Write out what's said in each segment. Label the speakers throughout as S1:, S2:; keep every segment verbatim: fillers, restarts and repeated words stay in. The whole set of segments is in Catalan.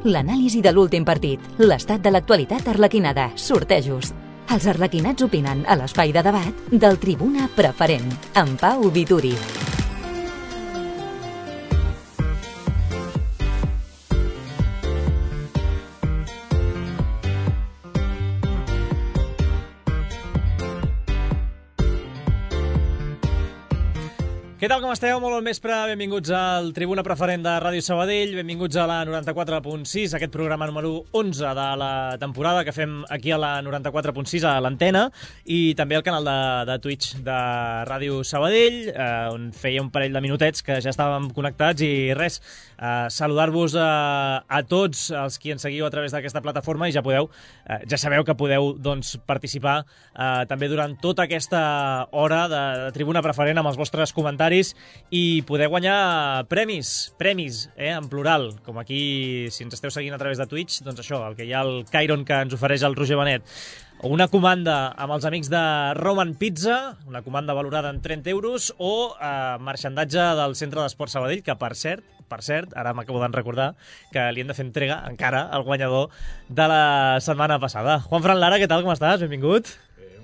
S1: L'anàlisi de l'últim partit, l'estat de l'actualitat arlequinada, sortejos. Els arlequinats opinen a l'espai de debat del Tribuna Preferent, amb Pau Vituri.
S2: Què tal, com esteu? Molt bon vespre, benvinguts al Tribuna Preferent de Ràdio Sabadell, benvinguts a la noranta-quatre punt sis, aquest programa número onze de la temporada que fem aquí a la noranta-quatre punt sis a l'antena i també al canal de, de Twitch de Ràdio Sabadell, eh, on feia un parell de minutets que ja estàvem connectats i res, eh, saludar-vos a, a tots els qui ens seguiu a través d'aquesta plataforma i ja podeu, eh, ja sabeu que podeu doncs, participar eh, també durant tota aquesta hora de, de Tribuna Preferent amb els vostres comentaris i poder guanyar premis, premis, eh, en plural, com aquí, si ens esteu seguint a través de Twitch, doncs això, el que hi ha el Cairon que ens ofereix el Roger Benet, o una comanda amb els amics de Roman Pizza, una comanda valorada en trenta euros, o eh, marxandatge del Centre d'Esport Sabadell, que per cert, per cert, ara m'acabo de recordar que li hem de fer entrega encara al guanyador de la setmana passada. Juanfran Lara, què tal, com estàs? Benvingut.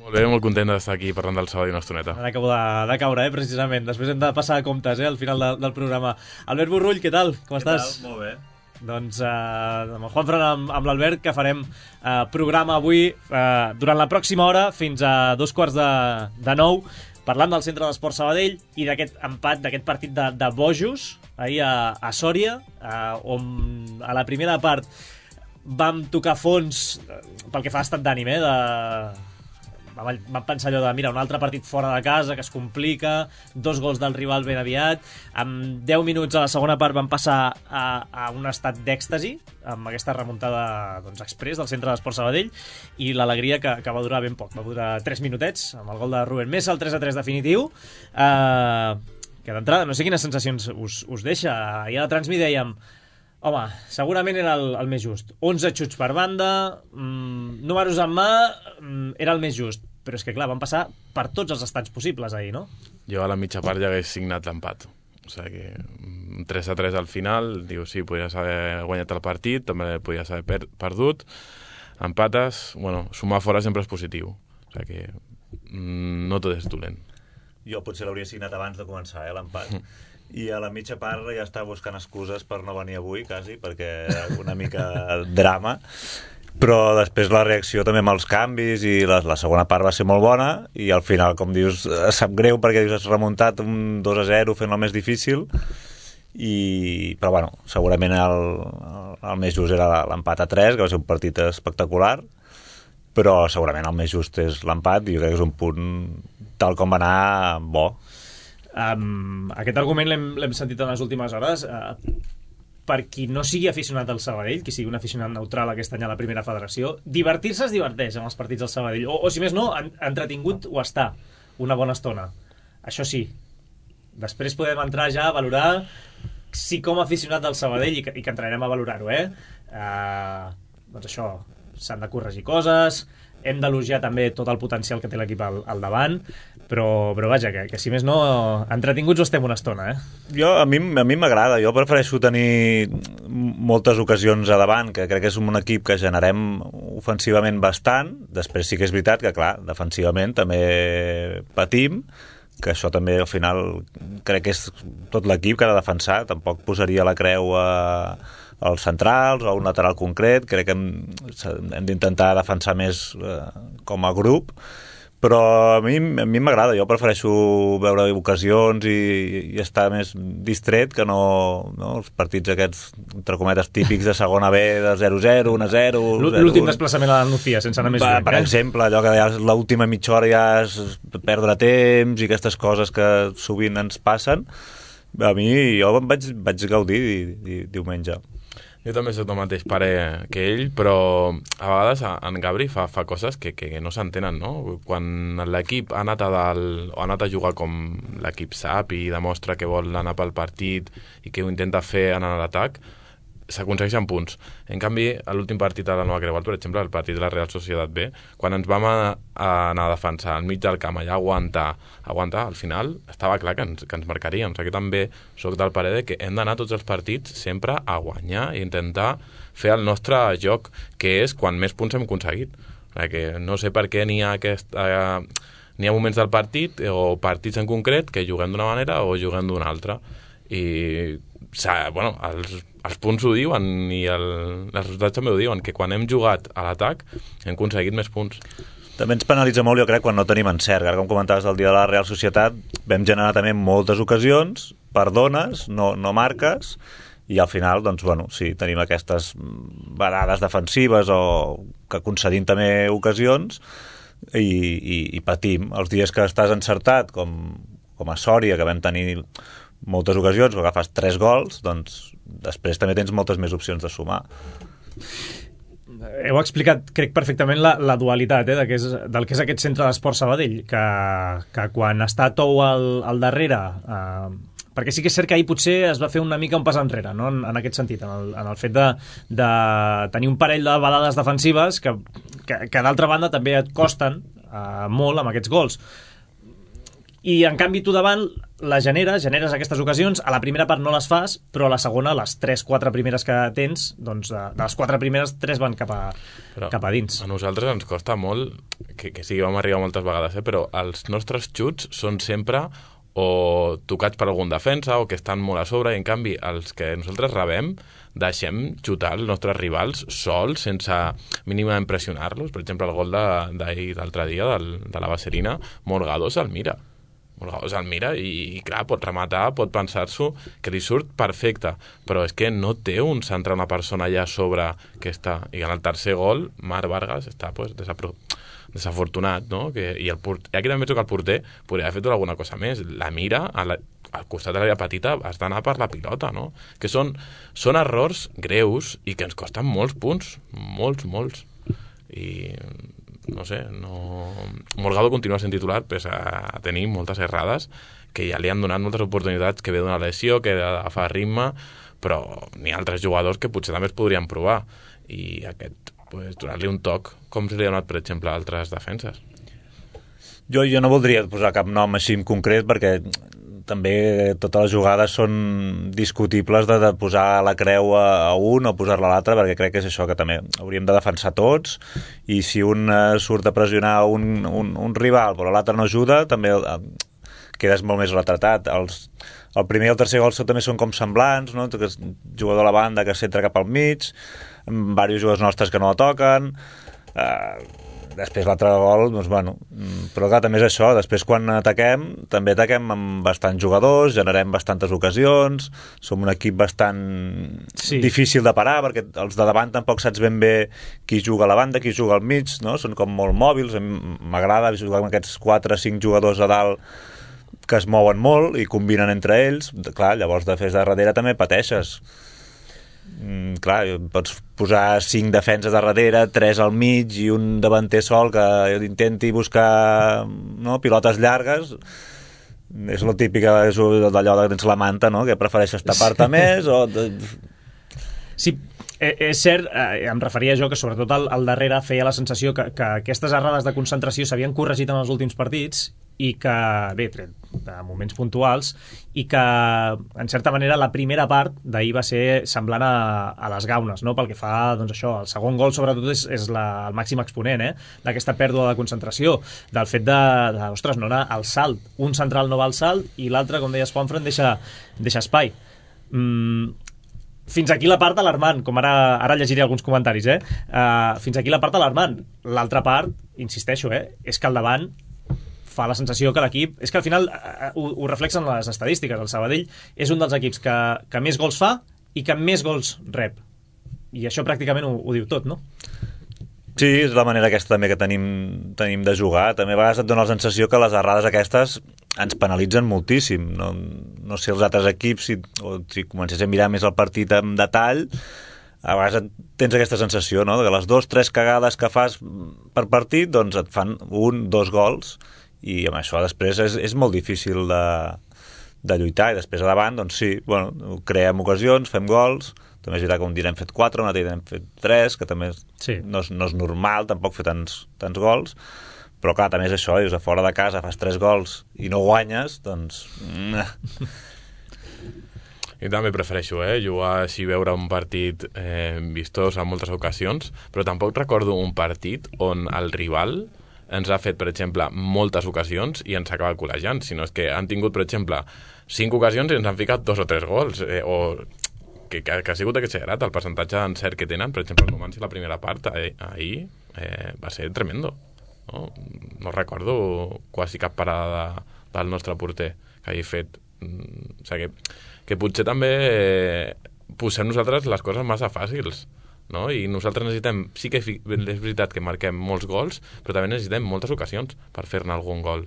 S3: Molt bé, molt content d'estar aquí parlant del Sabadell una estoneta.
S2: Ara acabo de, de caure, eh, precisament. Després hem de passar a comptes, eh, al final de, del programa. Albert Borrull, què tal? Com
S4: què
S2: estàs?
S4: Tal? Molt bé.
S2: Doncs eh, amb el Juanfran, amb, amb l'Albert, que farem eh, programa avui eh, durant la pròxima hora, fins a dos quarts de, de nou, parlant del Centre d'Esport Sabadell i d'aquest empat, d'aquest partit de, de bojos, ahir a, a Sòria, eh, on a la primera part vam tocar fons eh, pel que fa a estat d'ànim, eh, de... Vam, vam pensar allò de, mira, un altre partit fora de casa que es complica, dos gols del rival ben aviat, amb deu minuts a la segona part vam passar a, a un estat d'èxtasi amb aquesta remuntada doncs, express del Centre d'Esport Sabadell i l'alegria que, que va durar ben poc, va durar tres minutets amb el gol de Rubén Mesa, el tres a tres definitiu, eh, que d'entrada no sé quines sensacions us, us deixa. Ahir a la Transmi dèiem, home, segurament era el, el més just. onze xuts per banda, mmm, números en mà, mmm, era el més just. Però és que, clar, van passar per tots els estats possibles ahir, no?
S3: Jo a la mitja part ja hagués signat l'empat. O sigui que tres a tres al final, diu, sí, podries haver guanyat el partit, també podries haver per perdut. Empates, bueno, sumar fora sempre és positiu. O sigui que mm, no tot és dolent.
S4: Jo potser l'hauria signat abans de començar, eh, l'empat. I a la mitja part ja estava buscant excuses per no venir avui, quasi, perquè una mica drama. Però després la reacció també amb els canvis i la, la segona part va ser molt bona i al final, com dius, sap greu perquè dius, has remuntat un dos a zero fent-lo més difícil i, però bueno, segurament el, el més just era l'empat a tres, que va ser un partit espectacular, però segurament el més just és l'empat i jo crec que és un punt tal com va anar bo.
S2: Um, aquest argument l'hem sentit en les últimes hores. Uh, per qui no sigui aficionat al Sabadell, qui sigui un aficionat neutral aquest any a la primera federació, divertir-se es diverteix amb els partits del Sabadell, o, o si més no, en, entretingut ho està una bona estona, això sí. Després podem entrar ja a valorar si com a aficionat del Sabadell, i que, i que entrarem a valorar-ho, eh? Uh, doncs això, s'han de corregir coses, hem d'elogiar també tot el potencial que té l'equip al, al davant, però, però vaja, que, que si més no, entretinguts ho estem una estona, eh?
S4: Jo, a mi a mi m'agrada, jo prefereixo tenir moltes ocasions a davant, que crec que és un equip que generem ofensivament bastant, després sí que és veritat que, clar, defensivament també patim, que això també al final crec que és tot l'equip que ha de defensar, tampoc posaria la creu a als centrals o a un lateral concret, crec que hem, hem d'intentar defensar més eh, com a grup, però a mi a mi m'agrada, jo prefereixo veure ocasions i, i estar més distret que no, no els partits aquests, entre cometes, típics de segona B de zero zero, un a zero...
S2: L'últim desplaçament a la Nucía, sense anar més lluny.
S4: Per exemple, allò que ja l'última mitja hora ja és perdre temps i aquestes coses que sovint ens passen, a mi jo em vaig, vaig gaudir di, di, diumenge.
S3: Jo també soc del mateix pare que ell, però a vegades en Gabri fa, fa coses que, que no s'entenen, no? Quan l'equip ha anat a dalt, o ha anat a jugar com l'equip sap i demostra que vol anar pel partit i que ho intenta fer en l'atac, s'aconsegueixen punts. En canvi, a l'últim partit de la Nova Creuat, per exemple, el partit de la Real Societat B, quan ens vam a, a anar a defensar al mig del camp, allà a aguantar, aguantar, al final estava clar que ens, que ens marcaríem. O sigui, també soc del parer de que hem d'anar tots els partits sempre a guanyar i intentar fer el nostre joc, que és quan més punts hem aconseguit. O sigui, que no sé per què n'hi ha aquest... Eh, n'hi ha moments del partit o partits en concret que juguem d'una manera o juguem d'una altra. I bueno, els, els punts ho diuen i el, els resultats també ho diuen, que quan hem jugat a l'atac hem aconseguit més punts.
S4: També ens penalitza molt, jo crec, quan no tenim encert. Ara, com comentaves del dia de la Real Societat, vam generar també moltes ocasions, perdones, no, no marques, i al final, doncs, bueno, sí, tenim aquestes varades defensives o que concedim també ocasions, I, i, i patim. Els dies que estàs encertat, com, com a Sòria, que vam tenir moltes ocasions, que agafes tres gols, doncs després també tens moltes més opcions de sumar.
S2: Heu explicat, crec, perfectament la, la dualitat eh, de que és, del que és aquest centre d'esport Sabadell, que, que quan està Tou al, al darrere... Eh, perquè sí que és cert que ahir potser es va fer una mica un pas enrere, no? en, en aquest sentit, en el, en el fet de, de tenir un parell de balades defensives que, que, que d'altra banda també et costen uh, molt amb aquests gols. I en canvi tu davant la generes, generes aquestes ocasions, a la primera part no les fas, però a la segona, les tres quatre primeres que tens, doncs de, de les quatre primeres, tres van cap a, cap a dins.
S3: A nosaltres ens costa molt, que, que sí que vam arribar moltes vegades, eh, però els nostres xuts són sempre o tocats per algun defensa o que estan molt a sobre, i en canvi els que nosaltres rebem deixem xutar els nostres rivals sols, sense mínimament pressionar-los. Per exemple, el gol d'ahir, d'altre dia, del, de la Vaserina, Morgado se'l mira. Morgado se'l mira i, i, clar, pot rematar, pot pensar-s'ho, que li surt perfecte, però és que no té un centre, una persona allà a sobre que està. I en el tercer gol, Marc Vargas està pues, desapro... desafortunat, no? Que, i el port... aquí també penso que el porter podria haver fet alguna cosa més. La mira a la... al costat de l'àrea petita, has d'anar per la pilota, no? Que són, són errors greus i que ens costen molts punts, molts, molts. I no sé, no... Morgado continua sent titular pese a tenir moltes errades que ja li han donat moltes oportunitats, que ve d'una lesió, que fa ritme, però n'hi ha altres jugadors que potser també es podrien provar, i aquest pues, donar-li un toc, com se li ha donat, per exemple, a altres defenses.
S4: Jo, jo no voldria posar cap nom així en concret, perquè també totes les jugades són discutibles de, de posar la creu a, a un o posar-la a l'altre, perquè crec que és això, que també hauríem de defensar tots, i si un eh, surt a pressionar un, un, un rival però l'altre no ajuda, també eh, quedes molt més retratat. Els, el primer i el tercer gol també són com semblants, no? Que és un jugador a la banda que s'entra cap al mig, amb diversos jugadors nostres que no la toquen, eh, després l'altre gol, doncs bueno, però clar, també és això, després quan ataquem també ataquem amb bastants jugadors, generem bastantes ocasions, som un equip bastant sí. difícil de parar, perquè els de davant tampoc saps ben bé qui juga a la banda, qui juga al mig, no? Són com molt mòbils, m'agrada jugar amb aquests quatre o cinc jugadors a dalt que es mouen molt i combinen entre ells, clar, llavors de fes de darrere també pateixes. Mm, clar, pots posar cinc defenses de darrere, tres al mig i un davanter sol que intenti buscar no, pilotes llargues. És lo típic d'allò de tens la manta, no? Que prefereixes tapar-te més o...
S2: Sí, és cert, eh, em referia jo que sobretot al, al darrere feia la sensació que, que aquestes errades de concentració s'havien corregit en els últims partits i que, bé, de moments puntuals, i que, en certa manera, la primera part d'ahir va ser semblant a, a les gaunes, no? Pel que fa, doncs això, el segon gol, sobretot, és, és la, el màxim exponent, eh? D'aquesta pèrdua de concentració, del fet de, de, ostres, no anar al salt. Un central no va al salt i l'altre, com deies, Juanfran, deixa, deixa espai. Mm, fins aquí la part alarmant, com ara, ara llegiré alguns comentaris, eh? Uh, fins aquí la part alarmant. L'altra part, insisteixo, eh? És que al davant fa la sensació que l'equip... És que al final uh, ho, ho reflexen les estadístiques. El Sabadell és un dels equips que, que més gols fa i que més gols rep. I això pràcticament ho, ho diu tot, no?
S4: Sí, és la manera aquesta també que tenim, tenim de jugar. També a vegades et dona la sensació que les errades aquestes ens penalitzen moltíssim. No, no sé els altres equips, si, o si comencés a mirar més el partit en detall, a vegades tens aquesta sensació, no? Que les dues, tres cagades que fas per partit, doncs et fan un, dos gols, i amb això després és, és molt difícil de, de lluitar, i després a davant, doncs sí, bueno, creem ocasions, fem gols, també és veritat que un dia n'hem fet quatre, un altre dia n'hem fet tres, que també sí. no, és, no és normal tampoc fer tants, tants gols, però clar, també és això, dius, a fora de casa fas tres gols i no guanyes, doncs...
S3: I també prefereixo, eh, jugar així, veure un partit eh, vistós en moltes ocasions, però tampoc recordo un partit on el rival ens ha fet, per exemple, moltes ocasions i ens acaba col·legiant, sinó és que han tingut, per exemple, cinc ocasions i ens han ficat dos o tres gols, eh, o que, que, que ha sigut exagerat el percentatge d'encert que tenen. Per exemple, el Numancia la primera part eh, ahir eh, va ser tremendo, no? No recordo quasi cap parada de, del nostre porter que hagi fet. Mm, o sigui, que, que potser també eh, posem nosaltres les coses massa fàcils, no? I nosaltres necessitem, sí que és veritat que marquem molts gols, però també necessitem moltes ocasions per fer-ne algun gol,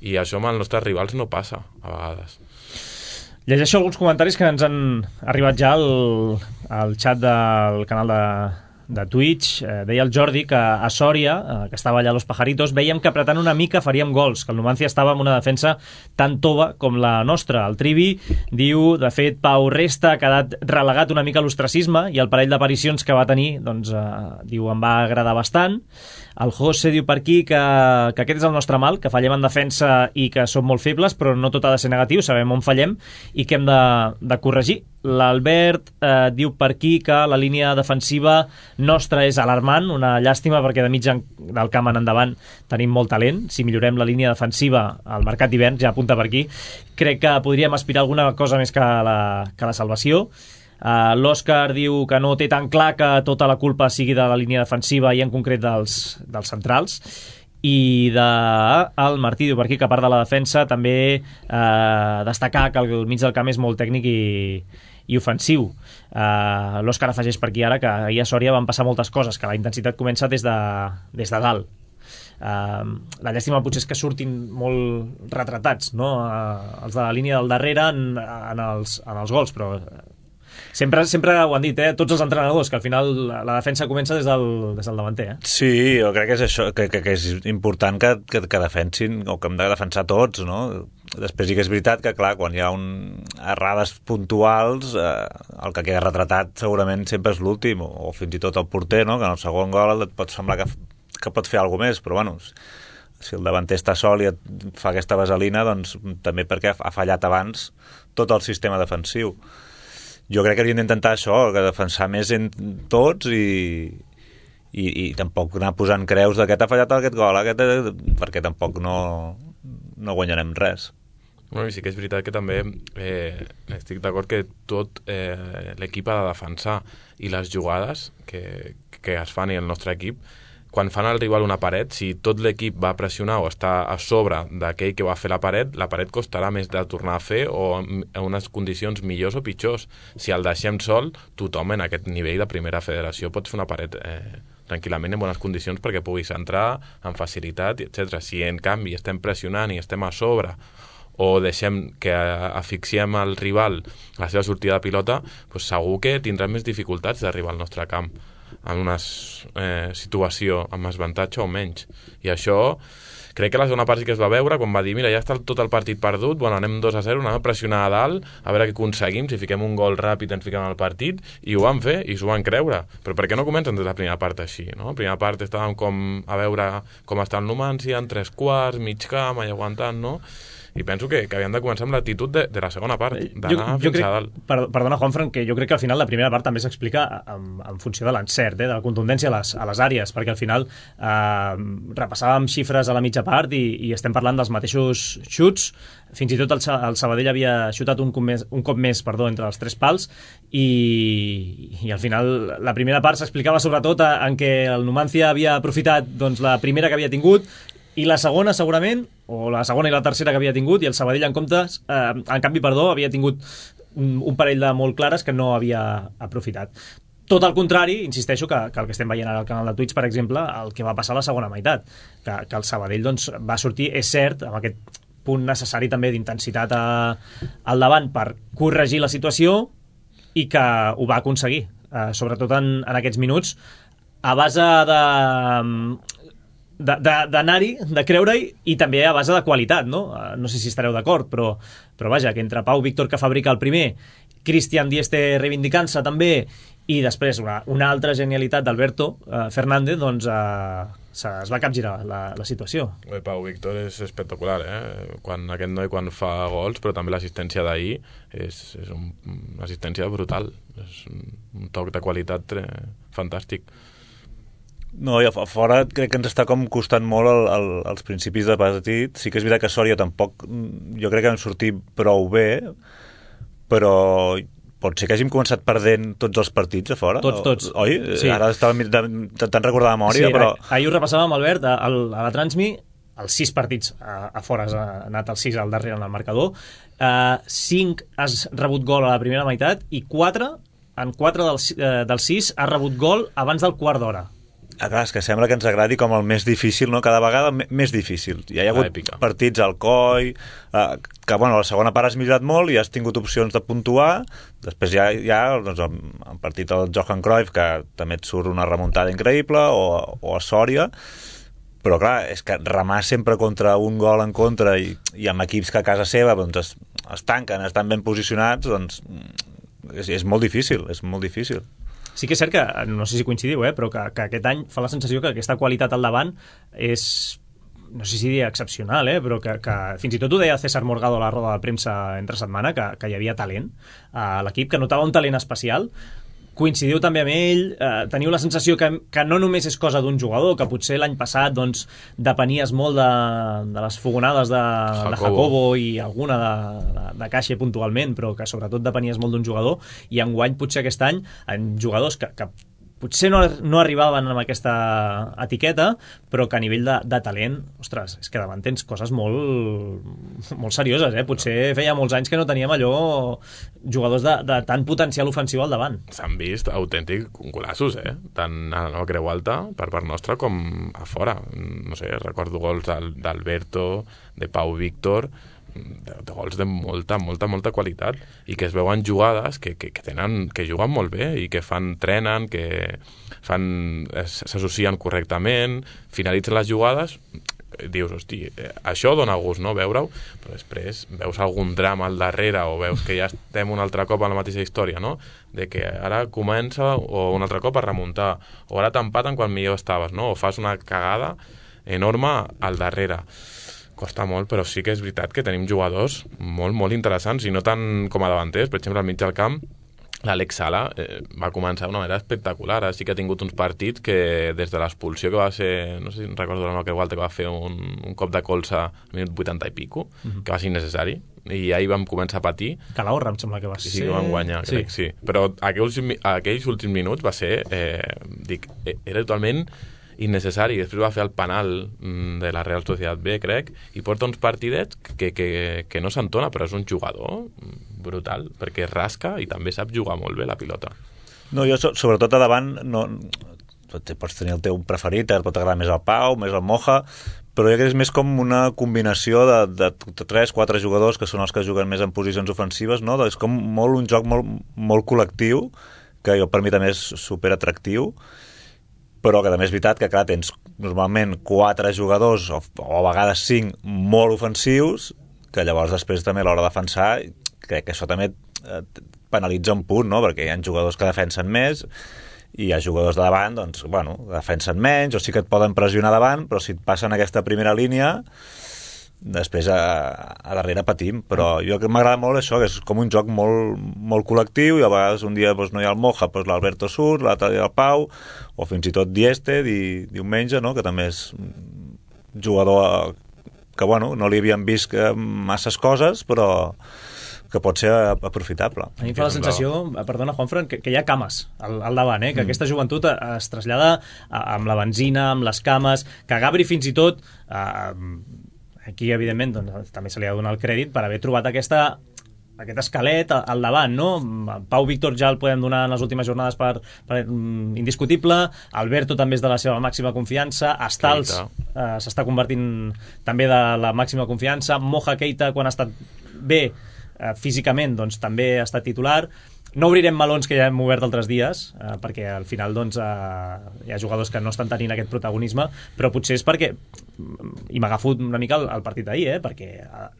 S3: i això amb els nostres rivals no passa a vegades.
S2: Llegeixo alguns comentaris que ens han arribat ja al, al xat del canal de, de Twitch. Eh, deia el Jordi que a Sòria, eh, que estava allà a Los Pajaritos, veiem que apretant una mica faríem gols, que el Numancia estava amb una defensa tan tova com la nostra. El Trivi diu, de fet, Pau Resta ha quedat relegat una mica a l'ostracisme, i el parell d'aparicions que va tenir, doncs, eh, diu, em va agradar bastant. El José diu per aquí que, que aquest és el nostre mal, que fallem en defensa i que som molt febles, però no tot ha de ser negatiu, sabem on fallem i que hem de, de corregir. L'Albert eh, diu per aquí que la línia defensiva nostra és alarmant, una llàstima perquè de mig del camp en endavant tenim molt talent. Si millorem la línia defensiva al mercat d'hivern, ja apunta per aquí, crec que podríem aspirar a alguna cosa més que la, que la salvació. Uh, l'Òscar diu que no té tan clar que tota la culpa sigui de la línia defensiva i en concret dels, dels centrals, i de, el Martí diu per aquí que a part de la defensa també uh, destacar que el mig del camp és molt tècnic i, i ofensiu. uh, l'Òscar afegeix per aquí ara que ahir a Sòria van passar moltes coses, que la intensitat comença des de, des de dalt. Uh, la llàstima potser és que surtin molt retratats, no? Uh, els de la línia del darrere en, en, els, en els gols, però Sempre, sempre ho han dit, eh? Tots els entrenadors, que al final la defensa comença des del, des del davanter. Eh?
S4: Sí, jo crec que és això, que, que, que és important que, que, que defensin, o que hem de defensar tots, no? Després sí que és veritat que, clar, quan hi ha un... errades puntuals, eh, el que queda retratat segurament sempre és l'últim, o, o fins i tot el porter, no? Que en el segon gol et pot semblar que, que pot fer alguna més, però bueno, si el davanter està sol i et fa aquesta vaselina, doncs també perquè ha fallat abans tot el sistema defensiu. Jo crec que hauríem d'intentar això, que defensar més en tots i, i, i tampoc anar posant creus d'aquest ha fallat aquest gol, aquest, perquè tampoc no, no guanyarem res.
S3: Bueno, i sí que és veritat que també eh, estic d'acord que tot eh, l'equip ha de defensar, i les jugades que, que es fan i el nostre equip, quan fan al rival una paret, si tot l'equip va pressionar o està a sobre d'aquell que va fer la paret, la paret costarà més de tornar a fer o en unes condicions millors o pitjors. Si el deixem sol, tothom en aquest nivell de primera federació pot fer una paret eh, tranquil·lament en bones condicions perquè puguis entrar amb facilitat, etcètera. Si en canvi estem pressionant i estem a sobre o deixem que asfixiem el rival a la seva sortida de pilota, doncs segur que tindrà més dificultats d'arribar al nostre camp en una eh, situació amb avantatge o menys. I això crec que la segona part sí que es va veure quan va dir, mira, ja està tot el partit perdut, bueno, anem dos a zero, anem a pressionar a dalt, a veure què aconseguim, si fiquem un gol ràpid ens fiquem al partit, i ho van fer i s'ho van creure. Però per què no comencen des de la primera part així, no? La primera part estàvem com a veure com està el Numancia, en tres quarts, mig camp, allà aguantant, no? I penso que, que havien de començar amb l'actitud de, de la segona part, d'anar fins
S2: crec,
S3: a dalt.
S2: Per, perdona, Juanfran, que jo crec que al final la primera part també s'explica en, en funció de l'encert, eh, de la contundència a les, a les àrees, perquè al final eh, repassàvem xifres a la mitja part i, i estem parlant dels mateixos xuts, fins i tot el, el Sabadell havia xutat un cop més, un cop més perdó, entre els tres pals, i, i al final la primera part s'explicava sobretot en què el Numancia havia aprofitat doncs, la primera que havia tingut, i la segona segurament, o la segona i la tercera que havia tingut, i el Sabadell en comptes, eh, en canvi, perdó, havia tingut un, un parell de molt clares que no havia aprofitat. Tot al contrari, insisteixo, que, que el que estem veient ara al canal de Twitch, per exemple, el que va passar a la segona meitat, que, que el Sabadell doncs, va sortir, és cert, amb aquest punt necessari també d'intensitat a, al davant per corregir la situació, i que ho va aconseguir, eh, sobretot en, en aquests minuts, a base de d'anar-hi, de, de, de creure-hi, i també a base de qualitat, no? No sé si estareu d'acord, però, però vaja, que entre Pau Víctor, que fabrica el primer, Cristian Dieste reivindicant-se també, i després una, una altra genialitat d'Alberto eh, Fernández, doncs eh, es va capgirar la, la situació.
S3: El Pau Víctor és espectacular, eh? Quan aquest noi quan fa gols, però també l'assistència d'ahir és, és un, una assistència brutal, és un, un toc de qualitat eh, fantàstic.
S4: No, i a fora crec que ens està com costant molt el, el, els principis de partit. Sí que és veritat que Sòria tampoc, jo crec que vam sortir prou bé, però pot ser que hàgim començat perdent tots els partits a fora.
S2: Tots, tots.
S4: Oi? Sí. Ara estava intentant recordar de memòria,
S2: sí,
S4: però...
S2: Ahir ho repassàvem, Albert, a, a la Transmi, els sis partits a, a fora, ha anat el sis al darrere en el marcador, uh, cinc has rebut gol a la primera meitat i quatre, en quatre dels, uh, dels sis has rebut gol abans del quart d'hora.
S4: Ah, clar, és que sembla que ens agradi com el més difícil, no? Cada vegada més difícil. Ja hi ha hagut
S3: èpica. Partits
S4: al coll, eh, que bueno, la segona part has millorat molt i has tingut opcions de puntuar. Després hi ha, hi ha doncs, el, el partit del Johan Cruyff, que també et surt una remuntada increïble, o, o a Sòria. Però clar, és que remar sempre contra un gol en contra i, i amb equips que a casa seva doncs, es, es tanquen, estan ben posicionats, doncs és, és molt difícil, és molt difícil.
S2: Sí que és cert que, no sé si coincidiu, eh, però que, que aquest any fa la sensació que aquesta qualitat al davant és, no sé si diria excepcional, eh, però que, que fins i tot ho deia César Morgado a la roda de premsa entre setmana, que, que hi havia talent a l'equip, que notava un talent especial. Coincidiu també amb ell, eh, teniu la sensació que, que no només és cosa d'un jugador, que potser l'any passat doncs, depenies molt de, de les fogonades de Jacobo. de Jacobo i alguna de, de, de Caixa puntualment, però que sobretot depenies molt d'un jugador, i enguany potser aquest any en jugadors que, que potser no, no arribaven amb aquesta etiqueta, però que a nivell de, de talent, ostres, és que davant tens coses molt, molt serioses, eh? Potser feia molts anys que no teníem allò jugadors de, de tant potencial ofensiu al davant.
S3: S'han vist autèntics golaços, eh? Tant a la nova Creu Alta, per part nostra, com a fora. No sé, recordo gols d'Alberto, de Pau Víctor, de, de gols de molta, molta, molta qualitat, i que es veuen jugades que, que, que tenen, que juguen molt bé i que fan, trenen, que fan, s'associen correctament, finalitzen les jugades, dius, hosti, això dona gust, no?, veure-ho, però després veus algun drama al darrere o veus que ja estem un altre cop a la mateixa història, no?, de que ara comença o un altre cop a remuntar, o ara t'empaten quan millor estaves, no?, o fas una cagada enorme al darrere. Costa molt, però sí que és veritat que tenim jugadors molt, molt interessants, i no tant com a davanters. Per exemple, al mig del camp, l'Àlex Sala eh, va començar d'una manera espectacular. Ara sí que ha tingut uns partits que, des de l'expulsió que va ser, no sé si recordo la que Walter, que va fer un, un cop de colze al minut vuitanta i pico, uh-huh. que va ser innecessari, i ahir vam començar a patir.
S2: Calahorra, em sembla que va ser.
S3: Sí, que vam guanyar, sí. crec, sí. Però aquells, aquells últims minuts va ser, eh, dic, era totalment innecessari. Després va fer el penal de la Real Societat B, crec, i porta uns partidets que, que, que no s'entona, però és un jugador brutal, perquè rasca i també sap jugar molt bé la pilota.
S4: No, jo sobretot a davant no, pots tenir el teu preferit, et pot agradar més el Pau, més el Moja, però jo crec que és més com una combinació de, de, de tres, quatre jugadors que són els que juguen més en posicions ofensives, no? És com molt un joc molt, molt col·lectiu, que jo per mi també és superatractiu, però que també és veritat que, clar, tens normalment quatre jugadors, o, o a vegades cinc, molt ofensius, que llavors després també a l'hora de defensar, crec que això també eh, penalitza un punt, no?, perquè hi ha jugadors que defensen més i hi ha jugadors de davant, doncs, bueno, defensen menys, o sí que et poden pressionar davant, però si et passen aquesta primera línia, després a, a darrere patim. Però jo que m'agrada molt això, que és com un joc molt, molt col·lectiu, i a vegades un dia doncs, no hi ha el Moja, doncs l'Alberto surt, l'altre dia el Pau, o fins i tot Dieste di, diumenge, no?, que també és un jugador que bueno, no li havien vist masses coses, però que pot ser aprofitable.
S2: A mi em fa la sensació, perdona Juanfran, que, que hi ha cames al, al davant, eh? que mm. aquesta joventut es trasllada amb la benzina, amb les cames, que Gabri fins i tot eh, aquí evidentment doncs, també se li ha de donar el crèdit per haver trobat aquesta, aquest esquelet al davant, no? Pau Víctor ja el podem donar en les últimes jornades per, per um, indiscutible, Alberto també és de la seva màxima confiança, Astals eh, s'està convertint també de la màxima confiança, Moja Keita quan ha estat bé eh, físicament doncs també ha estat titular, no obrirem melons que ja hem obert altres dies, eh, perquè al final doncs, eh, hi ha jugadors que no estan tenint aquest protagonisme, però potser és perquè, i m'agafo una mica el, el partit d'ahir, eh, perquè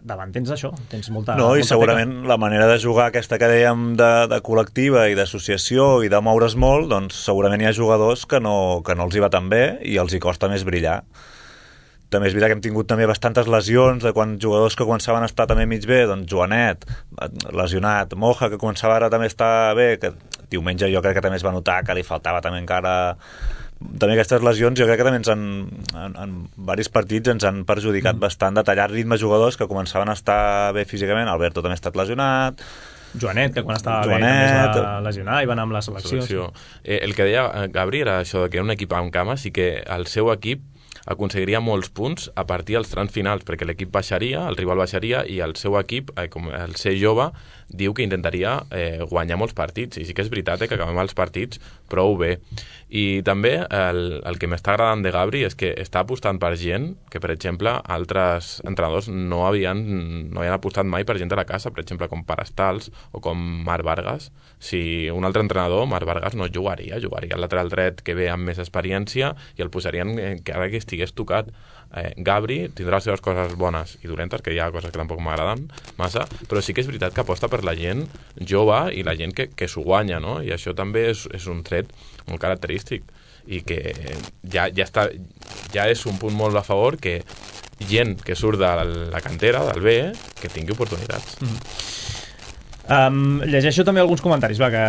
S2: davant tens això, tens molta...
S4: No, i
S2: molta
S4: segurament
S2: teca.
S4: La manera de jugar aquesta que dèiem de, de col·lectiva i d'associació i de moure's molt, doncs segurament hi ha jugadors que no, que no els hi va tan bé i els hi costa més brillar. També és veritat que hem tingut també bastantes lesions de quan jugadors que començaven a estar també mig bé, doncs Joanet, lesionat, Moja, que començava ara també a estar bé, que diumenge jo crec que també es va notar que li faltava també encara... També aquestes lesions jo crec que també ens han, en, en diversos partits ens han perjudicat mm. bastant de tallar ritme jugadors que començaven a estar bé físicament. Alberto també ha estat lesionat,
S2: Joanet, que quan estava
S4: Joanet,
S2: bé també es va lesionar i va anar amb la selecció.
S3: selecció. Eh, el que deia Gabri era això de que era un equip amb cames i que el seu equip aconseguiria molts punts a partir dels trams finals, perquè l'equip baixaria, el rival baixaria, i el seu equip, eh, com el ser jove, diu que intentaria eh, guanyar molts partits, i sí que és veritat eh, que acabem els partits prou bé. I també el, el que m'està agradant de Gabri és que està apostant per gent que, per exemple, altres entrenadors no havien, no havien apostat mai per gent de la casa, per exemple, com Parastals o com Marc Vargas. Si un altre entrenador, Marc Vargas, no jugaria, jugaria al lateral dret que ve amb més experiència i el posarien eh, que ara que estigués tocat. Eh, Gabri tindrà les seves coses bones i dolentes, que hi ha coses que tampoc m'agraden massa, però sí que és veritat que aposta per la gent jove i la gent que, que s'ho guanya, no? I això també és, és un tret molt característic i que ja, ja, està, ja és un punt molt a favor que gent que surt de la cantera, del B, que tingui oportunitats.
S2: Mm-hmm. Um, llegeixo també alguns comentaris va, que,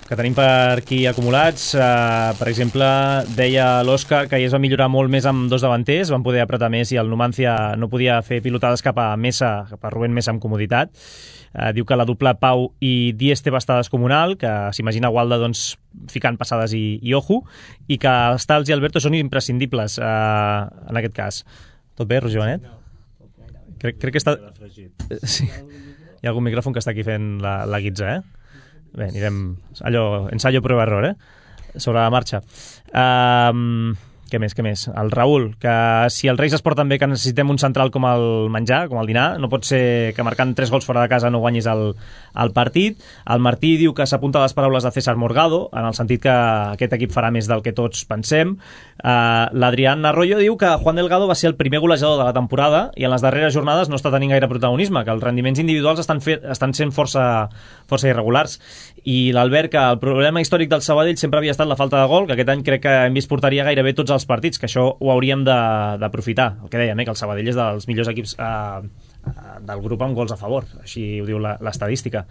S2: que tenim per aquí acumulats. Uh, per exemple, deia l'Òscar que es va millorar molt més amb dos davanters, van poder apretar més i el Numancia no podia fer pilotades cap a Mesa, cap a Rubén Mesa amb comoditat. Uh, diu que la dupla Pau i Dieste va estar descomunal, que s'imagina Walda doncs, ficant passades i, i ojo, i que Stals i Alberto són imprescindibles uh, en aquest cas. Tot bé, Roger Benet? Crec, crec que està... Sí. Hi ha algun micròfon que està aquí fent la, la guitza, eh? Bé, anirem... Allò, ensayo, prueba, error, eh? Sobre la marxa. Um, què més, què més? El Raül, que si els Reis es porten bé que necessitem un central com el menjar, com el dinar, no pot ser que marcant tres gols fora de casa no guanyis el, el partit. El Martí diu que s'apunta a les paraules de César Morgado, en el sentit que aquest equip farà més del que tots pensem. Uh, L'Adrián Arroyo diu que Juan Delgado va ser el primer golejador de la temporada i en les darreres jornades no està tenint gaire protagonisme, que els rendiments individuals estan, fe estan sent força, força irregulars. I l'Albert, que el problema històric del Sabadell sempre havia estat la falta de gol, que aquest any crec que hem vist portaria gairebé tots els partits, que això ho hauríem d'aprofitar. El que dèiem, eh, que el Sabadell és dels millors equips eh, del grup amb gols a favor, així ho diu l'estadística,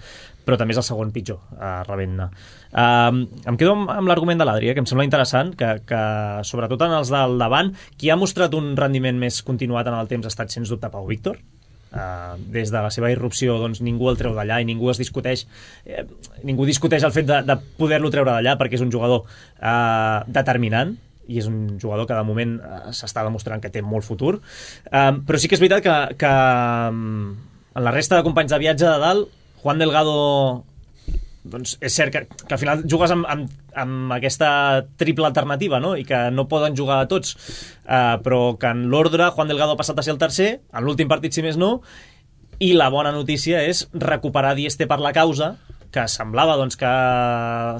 S2: però també és el segon pitjor, eh, rebent-ne. Eh, em quedo amb, amb l'argument de l'Adri, eh, que em sembla interessant, que, que sobretot en els del davant, qui ha mostrat un rendiment més continuat en el temps ha estat sens dubte Pau Víctor. Uh, des de la seva irrupció doncs, ningú el treu d'allà i ningú es discuteix eh, ningú discuteix el fet de, de poder-lo treure d'allà, perquè és un jugador uh, determinant i és un jugador que de moment uh, s'està demostrant que té molt futur, uh, però sí que és veritat que, que um, en la resta de companys de viatge de dalt, Juan Delgado doncs és cert que, que al final jugues amb, amb, amb aquesta triple alternativa, no? I que no poden jugar a tots, uh, però que en l'ordre Juan Delgado ha passat a ser el tercer, en l'últim partit si més no, i la bona notícia és recuperar Dieste per la causa, que semblava doncs, que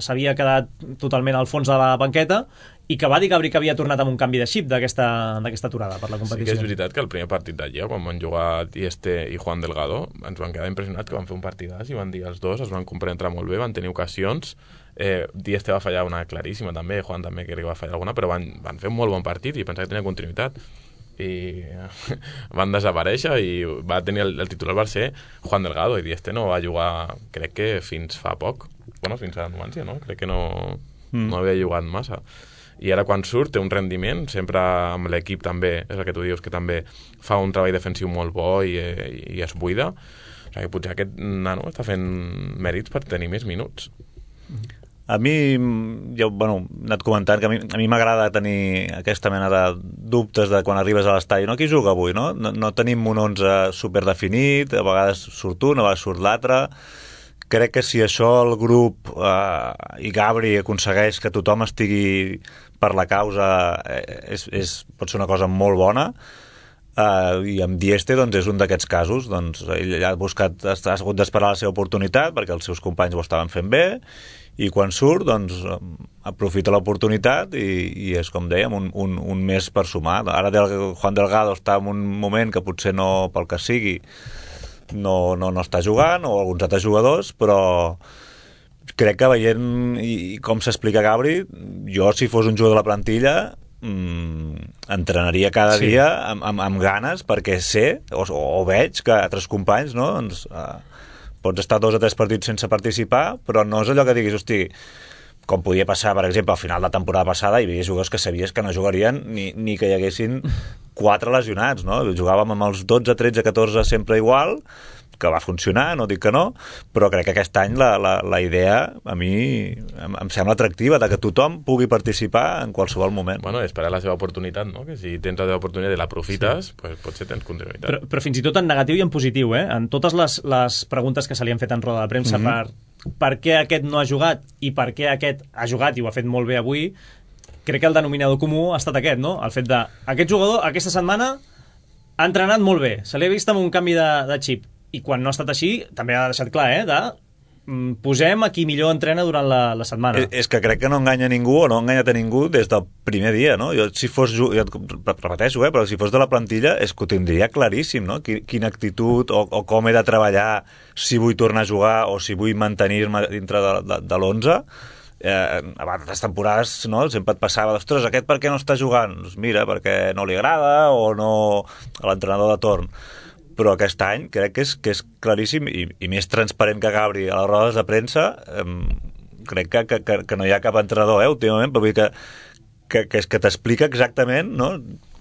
S2: s'havia quedat totalment al fons de la banqueta i que va dir Gabri que havia tornat amb un canvi de xip d'aquesta aturada per la competició.
S3: Sí que és veritat que el primer partit d'allà, quan van jugar Dieste i Juan Delgado, ens van quedar impressionats que van fer un partidàs i van dir els dos, es van comprendre molt bé, van tenir ocasions. Eh, Dieste va fallar una claríssima també, Juan també crec que va fallar alguna, però van, van fer un molt bon partit i pensava que tenia continuïtat. I van desaparèixer i va tenir el, el titular va ser Juan Delgado i Dieste no va jugar, crec que fins fa poc, bueno, fins a Numancia, no? Crec que no, mm. no havia jugat massa. I ara quan surt té un rendiment, sempre amb l'equip també, és el que tu dius, que també fa un treball defensiu molt bo i, i es buida. O sigui, potser aquest nano està fent mèrits per tenir més minuts.
S4: A mi, jo, bueno, he anat comentant que a mi a mi m'agrada tenir aquesta mena de dubtes de quan arribes a l'estadi, no? Qui juga avui, no? No, no tenim un onze superdefinit, a vegades surt un, a vegades surt l'altre. Crec que si això el grup eh, i Gabri aconsegueix que tothom estigui per la causa, eh, és, és, pot ser una cosa molt bona. Uh, i amb Dieste doncs, és un d'aquests casos. Doncs, ell ha buscat, ha hagut d'esperar la seva oportunitat perquè els seus companys ho estaven fent bé, i quan surt doncs, aprofita l'oportunitat i, i és, com dèiem, un, un, un mes per sumar. Ara el Juan Delgado està en un moment que potser no, pel que sigui, no, no, no està jugant, o alguns altres jugadors, però crec que veient i com s'explica Gabri, jo si fos un jugador de la plantilla mm, entrenaria cada sí. dia amb, amb, amb ganes, perquè sé o, o veig que altres companys, no, doncs, uh, pots estar dos o tres partits sense participar, però no és allò que diguis, hosti, com podia passar, per exemple, al final de la temporada passada hi havia jugadors que sabies que no jugarien ni, ni que hi haguessin quatre lesionats, no? Jugàvem amb els dotze, tretze, catorze sempre igual, que va funcionar, no dic que no, però crec que aquest any la, la, la idea a mi em, em sembla atractiva, de que tothom pugui participar en qualsevol moment.
S3: Bueno, esperar la seva oportunitat, no? Que si tens la teva oportunitat i l'aprofites, sí. pues potser tens continuïtat.
S2: Però, però fins i tot en negatiu i en positiu, eh? En totes les, les preguntes que se li han fet en roda de premsa mm-hmm. per, per què aquest no ha jugat i per què aquest ha jugat i ho ha fet molt bé avui, crec que el denominador comú ha estat aquest, no? El fet de, aquest jugador aquesta setmana ha entrenat molt bé, se li ha vist amb un canvi de, de xip, i quan no ha estat així, també ha deixat clar, eh, de mm, posem a qui millor entrena durant la, la setmana.
S4: És, és que crec que no enganya ningú o no ha enganyat a ningú des del primer dia, no? Jo, si fos, jo repeteixo, eh, però si fos de la plantilla és que ho tindria claríssim, no? Quina actitud o, o com he de treballar, si vull tornar a jugar o si vull mantenir-me dintre de, de, de l'onze. Eh, a altres temporades, no? Sempre et passava, ostres, aquest per què no està jugant? Doncs mira, perquè no li agrada o no a l'entrenador de torn. Però aquest any crec que és, que és claríssim i, i més transparent que Gabri a les rodes de premsa. Eh, crec que, que, que no hi ha cap entrenador, eh, últimament, però vull dir que, que, que, que t'explica exactament, no?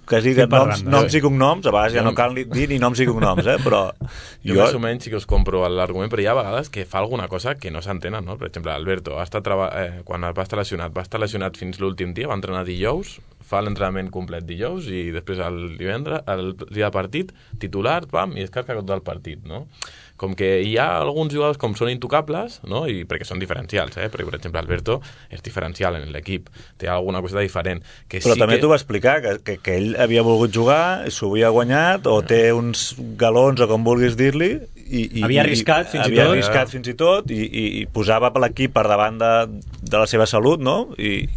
S4: Que es diguen noms, noms i cognoms, a vegades ja no cal dir ni noms i cognoms, eh? Però
S3: jo, jo més o menys sí que us compro l'argument, però hi ha vegades que fa alguna cosa que no s'entenen, no? Per exemple, Alberto, ha estat treba... eh, quan va estar lesionat, va estar lesionat fins l'últim dia, va entrenar dijous, fa l'entrenament complet dijous i després el divendres, el dia de partit, titular, pam, i descarga tot el partit, no? Com que hi ha alguns jugadors com són intocables, no? I perquè són diferencials, eh? Perquè, per exemple, Alberto és diferencial en l'equip, té alguna cosa diferent. Que
S4: però
S3: sí
S4: també
S3: que...
S4: t'ho va explicar, que, que, que ell havia volgut jugar, s'ho havia guanyat, o té uns galons, o com vulguis dir-li, i, i,
S2: havia arriscat fins i
S4: havia
S2: tot,
S4: arriscat fins i tot i, i, i posava l'equip per davant de, de la seva salut, no? I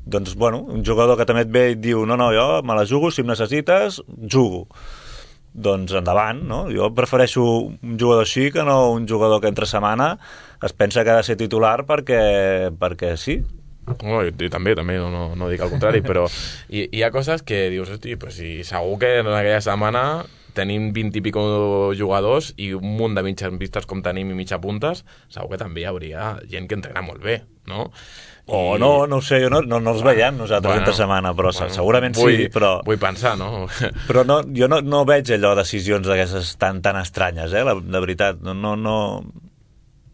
S4: doncs, bueno, un jugador que també et ve i et diu no, no, jo me la jugo, si em necessites, jugo. Doncs endavant, no? Jo prefereixo un jugador així que no un jugador que entre setmana es pensa que ha de ser titular perquè, perquè sí.
S3: No, i, i també, també no, no, no dic el contrari, però hi, hi ha coses que dius, hosti, pues si segur que en aquella setmana tenim vint i pico jugadors i un munt de mitges vistes com tenim i mitja puntes, segur que també hi hauria gent que entrena molt bé, no?
S4: O I... no, no ho sé, no, no, no els veiem nosaltres bueno, entre setmana, però bueno, segurament vull, sí, però...
S3: Vull pensar, no?
S4: Però no, jo no, no veig allò decisions d'aquestes tan, tan estranyes, eh, la, de veritat. No, no, no,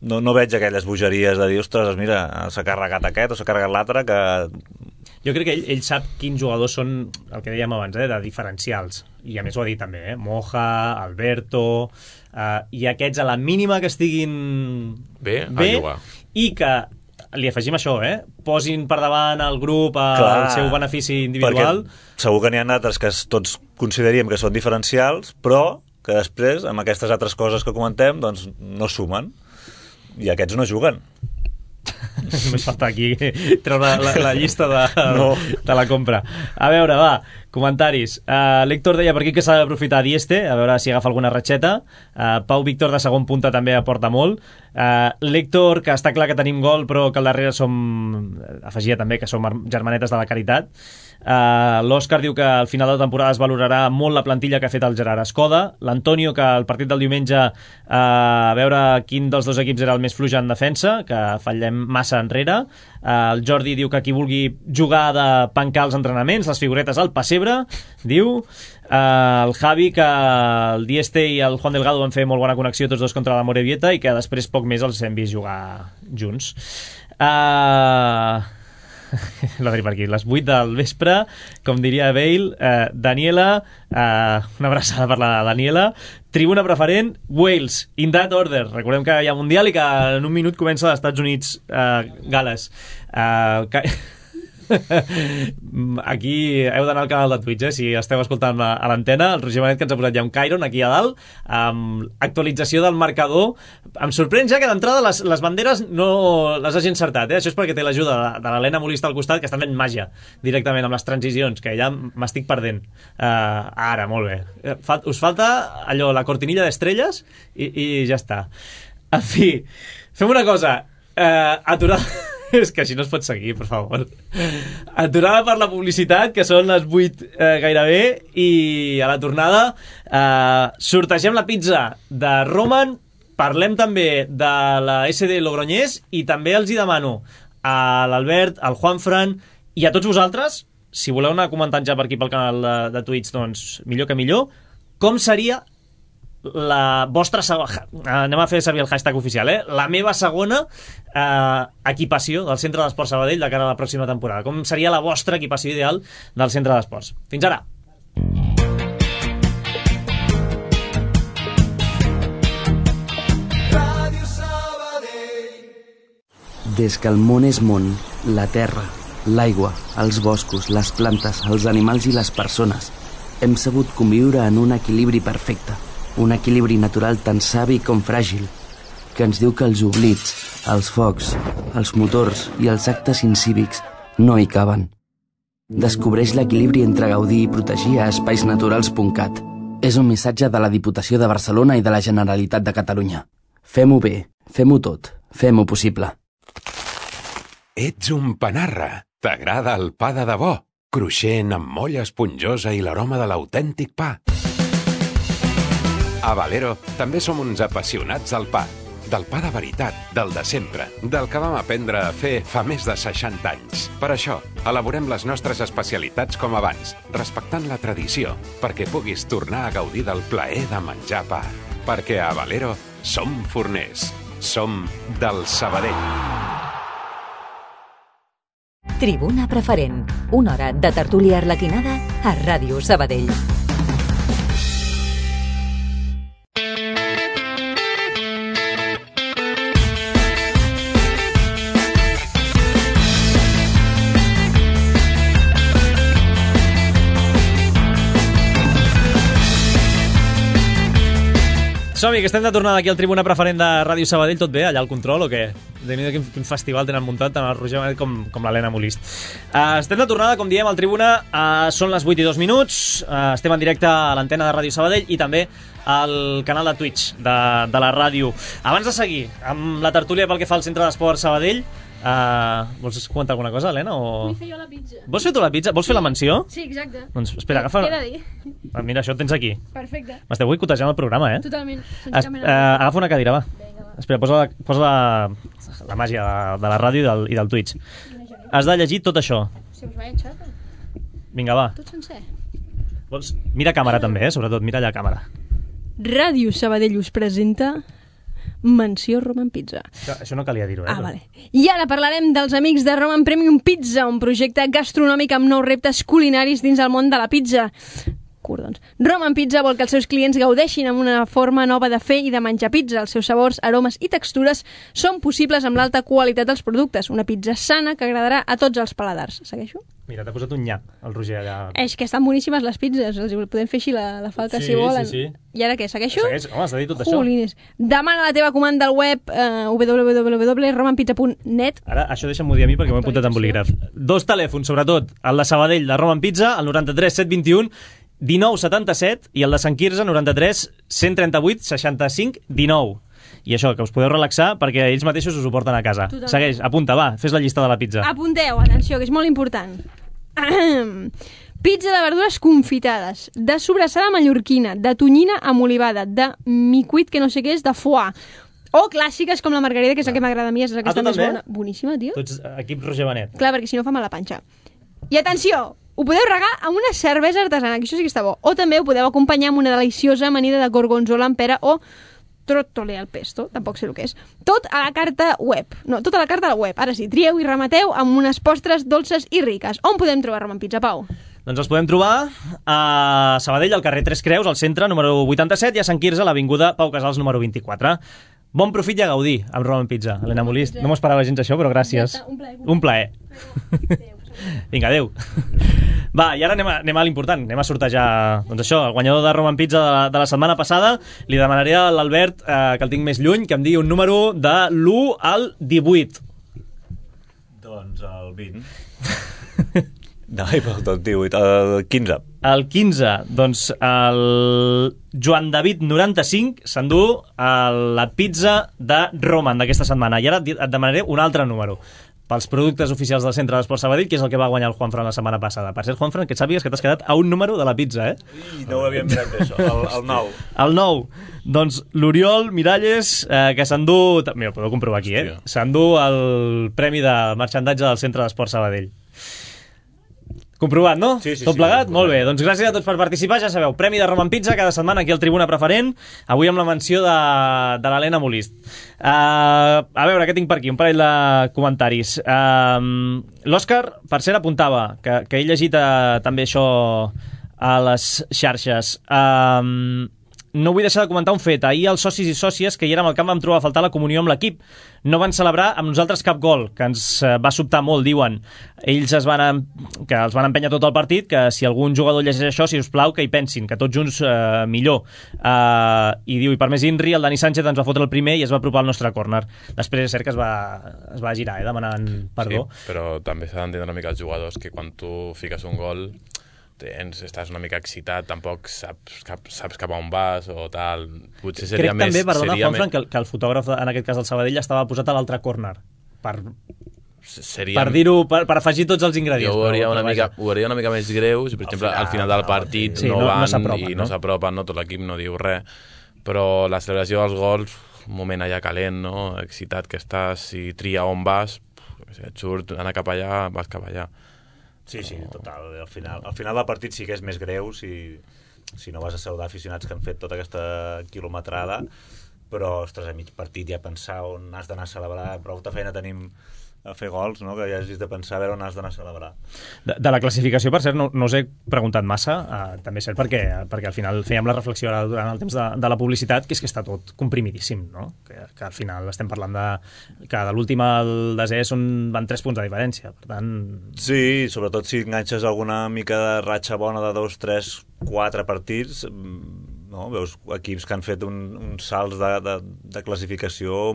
S4: no, no veig aquelles bogeries de dir, ostres, mira, s'ha carregat aquest o s'ha carregat l'altre, que...
S2: Jo crec que ell, ell sap quins jugadors són, el que dèiem abans, eh, de diferencials. I a més ho ha dit també, eh? Moja, Alberto... Uh, I aquests a la mínima que estiguin
S3: bé,
S2: bé
S3: a jugar.
S2: I que li afegim això, eh? Posin per davant el grup al seu benefici individual.
S4: Perquè segur que n'hi ha altres que tots consideríem que són diferencials, però que després, amb aquestes altres coses que comentem, doncs no sumen. I aquests no juguen.
S2: Només falta aquí treure la, la, la llista de, no. de la compra. A veure, va, comentaris. Uh, L'Héctor deia per aquí que s'ha d'aprofitar Dieste, a veure si agafa alguna ratxeta. Uh, Pau Víctor de segon punta també aporta molt. Uh, L'Héctor, que està clar que tenim gol, però que al darrere som... Afegia també que som germanetes de la caritat. Uh, L'Òscar diu que al final de la temporada es valorarà molt la plantilla que ha fet el Gerard Escoda. L'Antonio, que al partit del diumenge uh, a veure quin dels dos equips era el més fluix en defensa, que fallem massa enrere. Uh, el Jordi diu que qui vulgui jugar de pencar els entrenaments, les figuretes al pessebre, diu. Uh, el Javi, que el Dieste i el Juan Delgado van fer molt bona connexió tots dos contra la Morevieta i que després poc més els hem vist jugar junts. Uh... L'Adri per aquí, les vuit del vespre, com diria Bale. eh, Daniela, eh, una abraçada per la Daniela. Tribuna preferent, Wales, in that order. Recordem que hi ha Mundial i que en un minut comença als Estats Units, eh, Gales. eh, que... Aquí heu d'anar al canal de Twitch, eh? Si esteu escoltant a l'antena, el Roger Benet que ens ha posat ja un Chiron aquí a dalt, amb actualització del marcador. Em sorprèn ja que d'entrada les, les banderes no les hagi encertat, eh? Això és perquè té l'ajuda de, de l'Helena Molista al costat, que està fent màgia directament amb les transicions, que ja m'estic perdent. Uh, ara, molt bé. Fal, us falta allò, la cortinilla d'estrelles i, i ja està. En fi, fem una cosa. Uh, aturada... És que així no es pot seguir, per favor. Aturada per la publicitat, que són les vuit eh, gairebé, i a la tornada eh, sortegem la pizza de Roman, parlem també de la S D Logroñés, i també els hi demano a l'Albert, al Juanfran i a tots vosaltres, si voleu anar comentant ja per aquí pel canal de, de Twitch, doncs millor que millor, com seria la vostra segona, anem a fer servir el hashtag oficial, eh? La meva segona eh, equipació del Centre d'Esports Sabadell de cara a la pròxima temporada. Com seria la vostra equipació ideal del Centre d'Esports? Fins ara.
S5: Des que el món és món, la terra, l'aigua, els boscos, les plantes, els animals i les persones hem sabut conviure en un equilibri perfecte. Un equilibri natural tan savi com fràgil, que ens diu que els oblits, els focs, els motors i els actes incívics no hi caben. Descobreix l'equilibri entre gaudir i protegir a espais naturals punt cat. És un missatge de la Diputació de Barcelona i de la Generalitat de Catalunya. Fem-ho bé, fem-ho tot, fem-ho possible.
S6: Ets un panarra. T'agrada el pa de debò, cruixent amb molla esponjosa i l'aroma de l'autèntic pa. A Valero també som uns apassionats del pa, del pa de veritat, del de sempre, del que vam aprendre a fer fa més de seixanta anys. Per això, elaborem les nostres especialitats com abans, respectant la tradició, perquè puguis tornar a gaudir del plaer de menjar pa. Perquè a Valero som forners, som del Sabadell.
S1: Tribuna Preferent, una hora de tertúlia arlequinada a Ràdio Sabadell.
S2: Som-hi, que estem de tornada aquí al Tribuna Preferent de Ràdio Sabadell. Tot bé, allà al control, o què? Déu-n'hi-do quin, quin festival tenen muntat tant el Roger Benet com, com l'Helena Molist. Uh, estem de tornada, com diem, al Tribuna. Uh, són les vuit i dos minuts. Uh, estem en directe a l'antena de Ràdio Sabadell i també al canal de Twitch de, de la ràdio. Abans de seguir amb la tertúlia pel que fa al Centre d'Esports Sabadell, Uh, vols comentar alguna cosa, Helena? O...
S7: Vull fer jo la pizza.
S2: Vols fer tu la pizza? Vols sí. fer la menció?
S7: Sí, exacte.
S2: Doncs espera, agafa...
S7: Què he de dir?
S2: Ah, mira, això ho tens aquí.
S7: Perfecte.
S2: M'esteu boicotejant el programa, eh?
S7: Totalment.
S2: Es, uh, agafa una cadira, va. Vinga, va. Espera, posa, la, posa la, la màgia de, de la ràdio i del, i del Twitch. Has de llegir tot això.
S7: Si us vaig enxata.
S2: Vinga, va.
S7: Tot sencer.
S2: Vols... Mira càmera també, eh? Sobretot, mira allà càmera.
S7: Ràdio Sabadell us presenta... Menció Roman Pizza.
S2: Això, això no calia dir-ho, eh?
S7: Ah, vale. I ara parlarem dels amics de Roman Premium Pizza, un projecte gastronòmic amb nous reptes culinaris dins el món de la pizza. Cordons. Roman Pizza vol que els seus clients gaudeixin amb una forma nova de fer i de menjar pizza. Els seus sabors, aromes i textures són possibles amb l'alta qualitat dels productes. Una pizza sana que agradarà a tots els paladars. Segueixo?
S2: Mira, t'ha posat un nyap, el Roger, allà.
S7: És que estan boníssimes les pizzas. Els podem fer així la, la falca,
S2: sí,
S7: si volen.
S2: Sí, sí.
S7: I ara què? Segueixo?
S2: Segueix. Home, has de dir tot
S7: Jolines.
S2: això.
S7: Demana la teva comanda al web eh, w w w punt roman pizza punt net.
S2: Ara, això deixa'm-ho dir a mi perquè m'ho he apuntat en bolígraf. Dos telèfons, sobretot, el de Sabadell, de Roman Pizza, el noranta-tres set vint un dinou setanta-set, i el de Sant Quirze, noranta-tres cent trenta-vuit seixanta-cinc dinou. I això, que us podeu relaxar perquè ells mateixos us ho porten a casa. Totalment. Segueix, apunta, va, fes la llista de la pizza.
S7: Apunteu, atenció, que és molt important. Pizza de verdures confitades, de sobrassada mallorquina, de tonyina amb olivada, de micuit, que no sé què és, de foie, o clàssiques com la margarida, que és la que m'agrada a mi, és aquesta
S2: ah,
S7: més bona. Boníssima, tio.
S2: Tu ets equip Roger Benet.
S7: Clar, perquè si no fa mal la panxa. I atenció, ho podeu regar amb una cervesa artesana, que això sí que està bo. O també ho podeu acompanyar amb una deliciosa amanida de gorgonzola amb pera o trottole al pesto, tampoc sé el que és. Tot a la carta web. No, tot a la carta web. Ara sí, trieu i remateu amb unes postres dolces i riques. On podem trobar Roman Pizza, Pau?
S2: Doncs els podem trobar a Sabadell, al carrer Tres Creus, al centre, número vuitanta-set, i a Sant Quirze, a l'avinguda Pau Casals, número vint-i-quatre. Bon profit i a gaudir amb Roman Pizza. Helena Molist, no m'ho esperava gens això, però gràcies. Un plaer. Un plaer. Vinga, adeu. Va, i ara anem a, anem a l'important, anem a sortejar, doncs això, el guanyador de Roman Pizza de, de la setmana passada. Li demanaré a l'Albert, eh, que el tinc més lluny, que em digui un número de l'u al divuit.
S4: Doncs el vint. No, el divuit, el quinze.
S2: El quinze, doncs el Joan David noranta-cinc s'endú la pizza de Roman d'aquesta setmana. I ara et demanaré un altre número pels productes oficials del Centre d'Esport Sabadell, que és el que va guanyar el Juanfran la setmana passada. Per cert, Juanfran, que et sàpigues que t'has quedat a un número de la pizza, eh?
S4: I no ho havíem mirat bé, això. El, el nou.
S2: El nou. Doncs l'Oriol Miralles, eh, que s'endú... Mira, ho podeu comprovar aquí, eh? S'endú el premi de marxandatge del Centre d'Esport Sabadell. Comprovat, no?
S4: Sí, sí,
S2: Tot
S4: sí,
S2: plegat?
S4: sí,
S2: Molt bé. Doncs gràcies a tots per participar. Ja sabeu, premi de Roman Pizza cada setmana aquí al Tribuna Preferent. Avui amb la menció de, de l'Helena Molist. Uh, a veure, què tinc per aquí? Un parell de comentaris. Uh, L'Òscar, per cert, apuntava que, que he llegit uh, també això a les xarxes. Uh, no vull deixar de comentar un fet. Ahir els socis i sòcies que hi érem al camp vam trobar a faltar la comunió amb l'equip. No van celebrar amb nosaltres cap gol, que ens va sobtar molt, diuen. Ells es van, que els van empènyer tot el partit, que si algun jugador llegeix això, si us plau, que hi pensin, que tots junts eh, millor. Eh, I diu, i per més Inri, el Dani Sánchez ens va fotre el primer i es va apropar al nostre córner. Després és cert que es va, es va girar, eh, demanant perdó.
S3: Sí, però també s'ha d'entendre una mica els jugadors que quan tu fiques un gol tens, estàs una mica excitat, tampoc saps cap, saps cap a on vas o tal. Potser seria
S2: Crec
S3: més...
S2: també, perdona, Juanfran,
S3: més...
S2: que, el, que el fotògraf, en aquest cas del Sabadell, estava posat a l'altre córner. Per,
S3: seria...
S2: per dir-ho, per, per afegir tots els ingredients.
S3: Jo ho hauria,
S2: però,
S3: una
S2: però
S3: mica, ho hauria una mica més greu si, per exemple, al final del partit
S2: sí,
S3: no,
S2: no,
S3: van
S2: no
S3: i
S2: no?
S3: no s'apropen, no? Tot l'equip no diu res, però la celebració dels gols, un moment allà calent, no? Excitat que estàs, si tria on vas, et surt, anar cap allà, vas cap allà.
S4: Sí, sí, total. Al final, al final del partit sí que és més greu si, si no vas a saludar aficionats que han fet tota aquesta quilometrada, però, ostres, a mig partit ja pensar on has d'anar a celebrar, prou de feina tenim a fer gols, no? Que ja hagis de pensar a veure on has d'anar a celebrar.
S2: De, de la classificació, per cert, no, no us he preguntat massa, uh, també és cert perquè, perquè al final fèiem la reflexió ara durant el temps de, de la publicitat, que és que està tot comprimidíssim, no? Que, que al final estem parlant de que de l'últim al desè són, van tres punts de diferència, per tant...
S4: Sí, sobretot si enganxes alguna mica de ratxa bona de dos, tres, quatre partits, no? Veus equips que han fet un, uns salts de, de, de classificació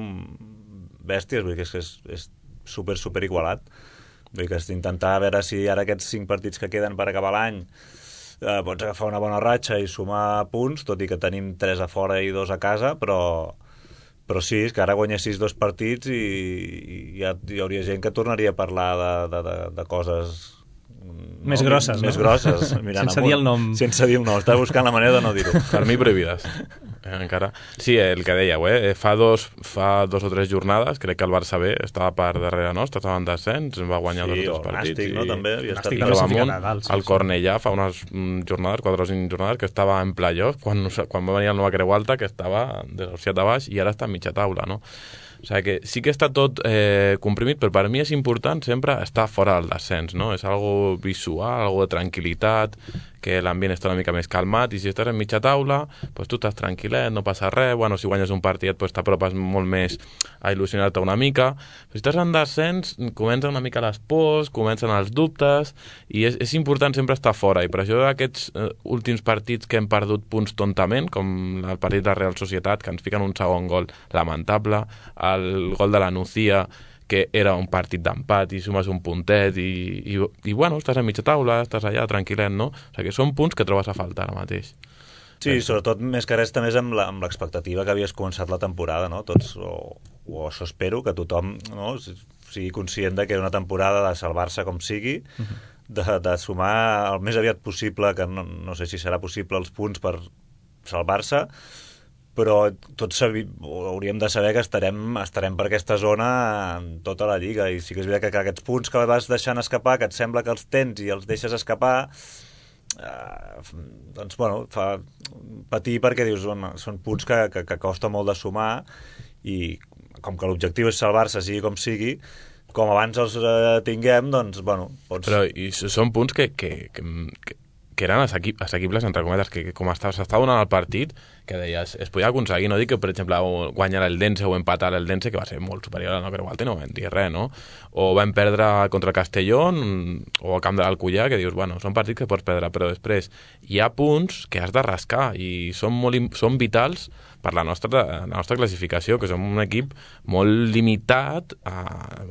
S4: bèsties, vull dir que és, és, és super, super igualat. Vull dir que és intentar veure si ara aquests cinc partits que queden per acabar l'any eh, pots agafar una bona ratxa i sumar punts, tot i que tenim tres a fora i dos a casa, però, però sí, és que ara guanyessis dos partits i, i ja hi hauria gent que tornaria a parlar de, de, de, de coses
S2: més
S4: no,
S2: grosses,
S4: més
S2: no?
S4: grosses, mirant
S2: sense
S4: amunt,
S2: dir el nom.
S4: Sense dir el nom, estava buscant la manera de no dir-ho.
S3: Per mi prohibides. Eh, encara. Sí, el que dèieu, eh? Fa dos, fa dos o tres jornades, crec que el Barça B estava per darrere nostre, estava en descens, va guanyar
S4: sí,
S3: dos o tres partits.
S4: Nàstic, no? També havia estat...
S2: Nàstic també s'ha ficat a dalt, sí,
S3: el Cornellà fa unes jornades, quatre o cinc jornades, que estava en playoff, quan, quan va venir el Nova Creu Alta, que estava desahuciat a baix, i ara està a mitja taula, no? O sigui que sí que està tot eh, comprimit, però per mi és important sempre estar fora del descens, no? És algo visual, algo de tranquil·litat, que l'ambient està una mica més calmat, i si estàs en mitja taula, doncs tu estàs tranquil·let, no passa res, bueno, si guanyes un partit doncs t'apropes molt més a il·lusionar-te una mica, però si estàs en descens, comencen una mica les pors, comencen els dubtes, i és, és important sempre estar fora, i per això aquests eh, últims partits que hem perdut punts tontament, com el partit de Real Societat, que ens fiquen un segon gol lamentable, el gol de la Nucía, que era un partit d'empat i sumes un puntet i, i, i bueno, estàs a mitja taula, estàs allà tranquil·let, no? O sigui que són punts que trobes a faltar ara mateix.
S4: Sí, sobretot més que res també és amb l'expectativa que havies començat la temporada, no? Tots, o, o això espero, que tothom, no? sigui conscient de que era una temporada de salvar-se com sigui, de, de sumar el més aviat possible, que no, no sé si serà possible, els punts per salvar-se, però tots sabi, hauríem de saber que estarem, estarem per aquesta zona en tota la Lliga, i sí que és veritat que, que aquests punts que vas deixant escapar, que et sembla que els tens i els deixes escapar, eh, doncs bueno, fa patir, perquè dius, bueno, són punts que, que, que costa molt de sumar, i com que l'objectiu és salvar-se, sigui com sigui, com abans els eh, tinguem, doncs, bueno, pots...
S3: Però i són punts que, que, que, que eren assequibles, entre cometes, que com s'està donant el partit, que deies, es podia aconseguir, no dic que, per exemple, guanyar l'Eldense o empatar l'Eldense, que va ser molt superior a la Creu Alta, no vam dir res, no? O vam perdre contra el Castellón o al camp de l'Alcoyà, que dius, bueno, són partits que pots perdre, però després hi ha punts que has de rascar i són, molt, són vitals per la nostra, la nostra classificació, que som un equip molt limitat a,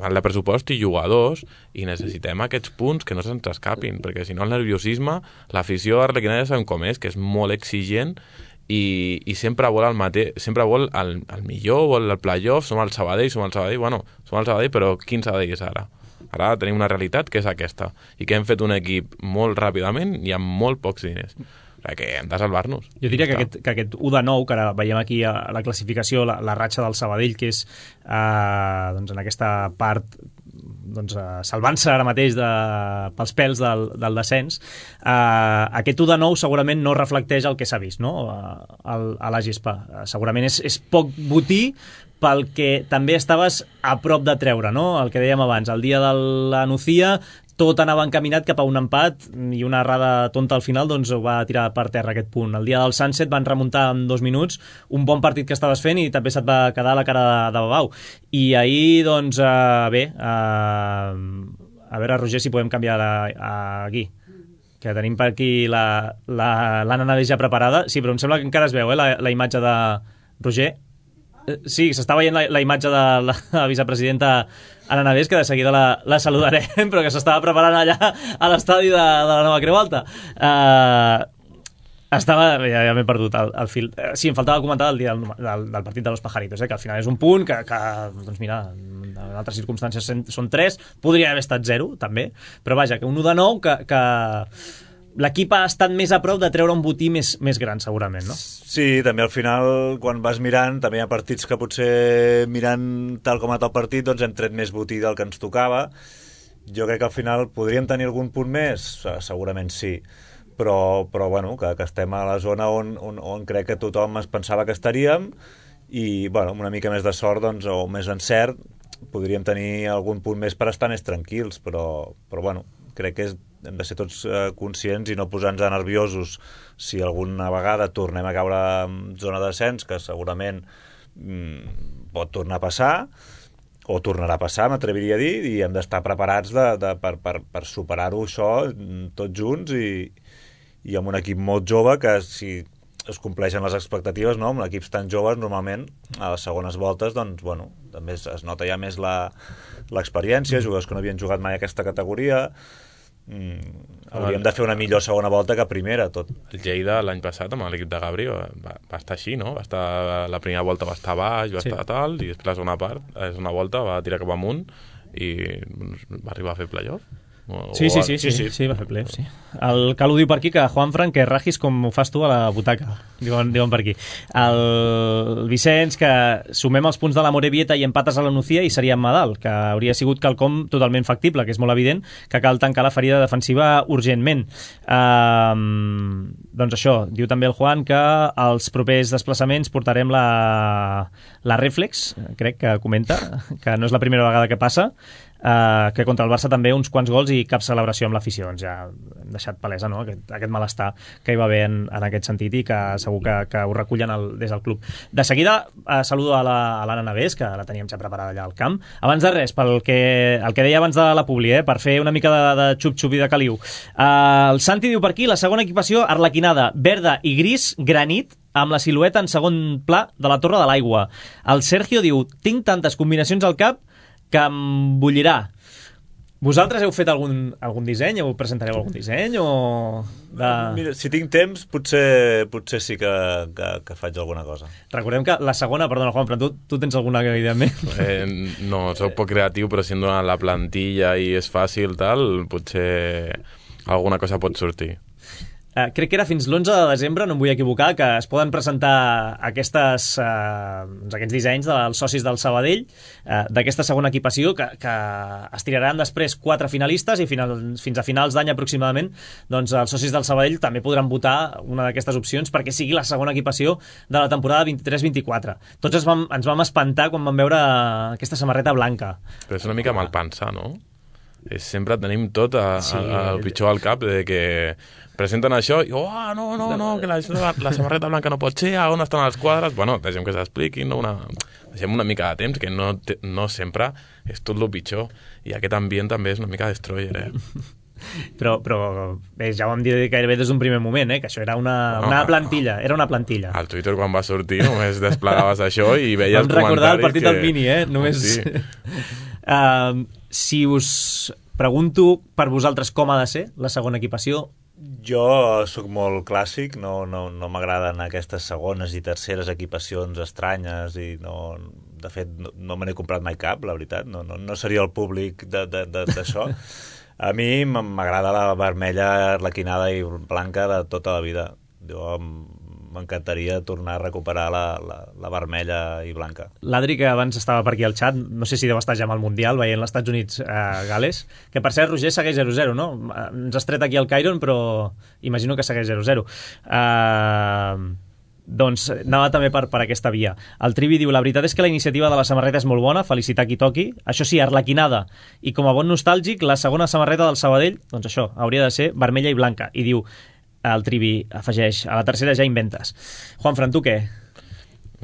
S3: a la pressupost i jugadors, i necessitem aquests punts que no se'ns escapin, perquè si no el nerviosisme, l'afició arlequinada ja sabem com és, que és molt exigent i, i sempre vol el mateix, sempre vol el, el millor, vol el playoff, som el Sabadell, som el Sabadell, bueno, som el Sabadell, però quin Sabadell és ara? Ara tenim una realitat que és aquesta, i que hem fet un equip molt ràpidament i amb molt pocs diners. Que hem de salvar-nos.
S2: Jo diria que aquest, que aquest u de nou, que ara veiem aquí a la classificació, la, la ratxa del Sabadell, que és eh, doncs en aquesta part doncs, eh, salvant-se ara mateix de, pels pèls del, del descens, eh, aquest u de nou segurament no reflecteix el que s'ha vist, no? a, a la gespa. Eh, segurament és, és poc botí pel que també estaves a prop de treure, no? El que dèiem abans, el dia de la Nucía tot anava encaminat cap a un empat i una errada tonta al final doncs ho va tirar per terra aquest punt. El dia del Sunset van remuntar en dos minuts un bon partit que estaves fent i també se't va quedar la cara de, de babau. I ahir, doncs, uh, bé, uh, a veure, Roger, si podem canviar a, a aquí, que tenim per aquí la, la, l'Anna Navés ja preparada. Sí, però em sembla que encara es veu, eh, la, la imatge de Roger. Sí, s'està veient la, la imatge de la, la vicepresidenta Anna Navés, que de seguida la, la saludarem, però que s'estava preparant allà a l'estadi de, de la Nova Creu Alta. Uh, estava... Ja, ja m'he perdut el, el fil. Uh, sí, em faltava comentar el dia del, del, del partit de los Pajaritos, eh, que al final és un punt que, que doncs mira, en altres circumstàncies són tres, podria haver estat zero, també, però vaja, que un u de nou que... que l'equip ha estat més a prop de treure un botí més, més gran, segurament, no?
S4: Sí, també al final, quan vas mirant, també hi ha partits que potser mirant tal com ha estat el partit, doncs hem tret més botí del que ens tocava. Jo crec que al final podríem tenir algun punt més? Segurament sí, però, però bueno, que, que estem a la zona on, on, on crec que tothom es pensava que estaríem i, bueno, amb una mica més de sort, doncs, o més encert, podríem tenir algun punt més per estar més tranquils, però, però bueno, crec que és, hem de ser tots eh, conscients i no posar-nos nerviosos si alguna vegada tornem a caure en zona de descens, que segurament mm, pot tornar a passar o tornarà a passar, m'atreviria a dir, i hem d'estar preparats de, de, per, per, per superar-ho això tots junts i, i amb un equip molt jove que si es compleixen les expectatives, no? Amb equips tan joves normalment a les segones voltes doncs, bueno, també es, es nota ja més la, l'experiència, jugadors que no havien jugat mai a aquesta categoria. Mm, hauríem de fer una millor segona volta que primera, tot.
S3: El Lleida l'any passat amb l'equip de Gabri va, va estar així, no? Va estar, la primera volta va estar baix, va sí. estar tal, i després la segona part, la segona volta va tirar cap amunt i va arribar a fer playoff. O,
S2: sí, sí, sí, sí, sí, sí, va fer playoff, sí. El Calu diu per aquí que Juanfran, que ragis com ho fas tu a la butaca, diuen, diuen per aquí. El Vicenç, que sumem els punts de la Morevieta i empates a la Nucía i seríem Madal, que hauria sigut quelcom totalment factible, que és molt evident que cal tancar la ferida defensiva urgentment. Um, doncs això, diu també el Juan que als propers desplaçaments portarem la, la Reflex, crec que comenta, que no és la primera vegada que passa, Uh, que contra el Barça també uns quants gols i cap celebració amb l'afició. Doncs ja hem deixat palesa, no? aquest, aquest malestar que hi va haver en, en aquest sentit i que segur que, que ho recullen el, des del club. De seguida uh, saludo a l'Anna la, Navés, que la teníem ja preparada allà al camp. Abans de res, pel que, el que deia abans de la Publi, eh, per fer una mica de, de xup-xup i de caliu. Uh, el Santi diu per aquí, la segona equipació arlequinada, verda i gris, granit, amb la silueta en segon pla de la Torre de l'Aigua. El Sergio diu, tinc tantes combinacions al cap que em bullirà. Vosaltres heu fet algun, algun disseny? Heu presentareu algun disseny? O de...
S4: Mira, si tinc temps, potser, potser sí que, que, que faig alguna cosa.
S2: Recordem que la segona, perdona Juan, però tu, tu tens alguna idea més?
S3: Eh, no, soc poc creatiu, però si em donen la plantilla i és fàcil, tal, potser alguna cosa pot sortir.
S2: Uh, crec que era fins l'onze de desembre, no em vull equivocar, que es poden presentar aquestes, uh, aquests dissenys dels socis del Sabadell, uh, d'aquesta segona equipació, que, que es tiraran després quatre finalistes i final, fins a finals d'any aproximadament doncs els socis del Sabadell també podran votar una d'aquestes opcions perquè sigui la segona equipació de la temporada vint-i-tres vint-i-quatre. Tots ens vam, ens vam espantar quan vam veure aquesta samarreta blanca.
S3: Però és una mica mal pensar, no? és sempre tenim tot a, sí. a, al pitjor al cap, de que presenten això i, oh, no, no, no, que la, la, la samarreta blanca no pot ser, on estan els quadres? Bueno, deixem que s'expliquin, no? una, deixem una mica de temps, que no, te, no sempre és tot el pitjor, i aquest ambient també és una mica destroyer, eh?
S2: Però, però bé, ja ho vam dir gairebé des d'un primer moment, eh? Que això era una, no, una plantilla, era una plantilla.
S3: Al Twitter quan va sortir només desplegaves això i veies
S2: els comentaris. Vam recordar el partit que... del Mini, eh? Només... Sí. uh, si us pregunto per vosaltres com ha de ser la segona equipació...
S4: Jo sóc molt clàssic, no, no, no m'agraden aquestes segones i terceres equipacions estranyes i no... De fet, no, no me n'he comprat mai cap, la veritat. No, no, no seria el públic d'això. A mi m'agrada la vermella, arlequinada i blanca de tota la vida. Jo m'encantaria tornar a recuperar la, la, la vermella i blanca.
S2: L'Adri, que abans estava per aquí al xat, no sé si deu estar ja amb el Mundial, veient els Estats Units a eh, Gales, que per cert, Roger, segueix zero zero, no? Ens has tret aquí el Cairon, però imagino que segueix zero zero. Uh, doncs anava també per, per aquesta via. El Trivi diu, la veritat és que la iniciativa de la samarreta és molt bona, felicitar qui toqui, això sí, arlequinada, i com a bon nostàlgic, la segona samarreta del Sabadell, doncs això, hauria de ser vermella i blanca, i diu, el Trivi afegeix, a la tercera ja inventes. Juanfran, tu què?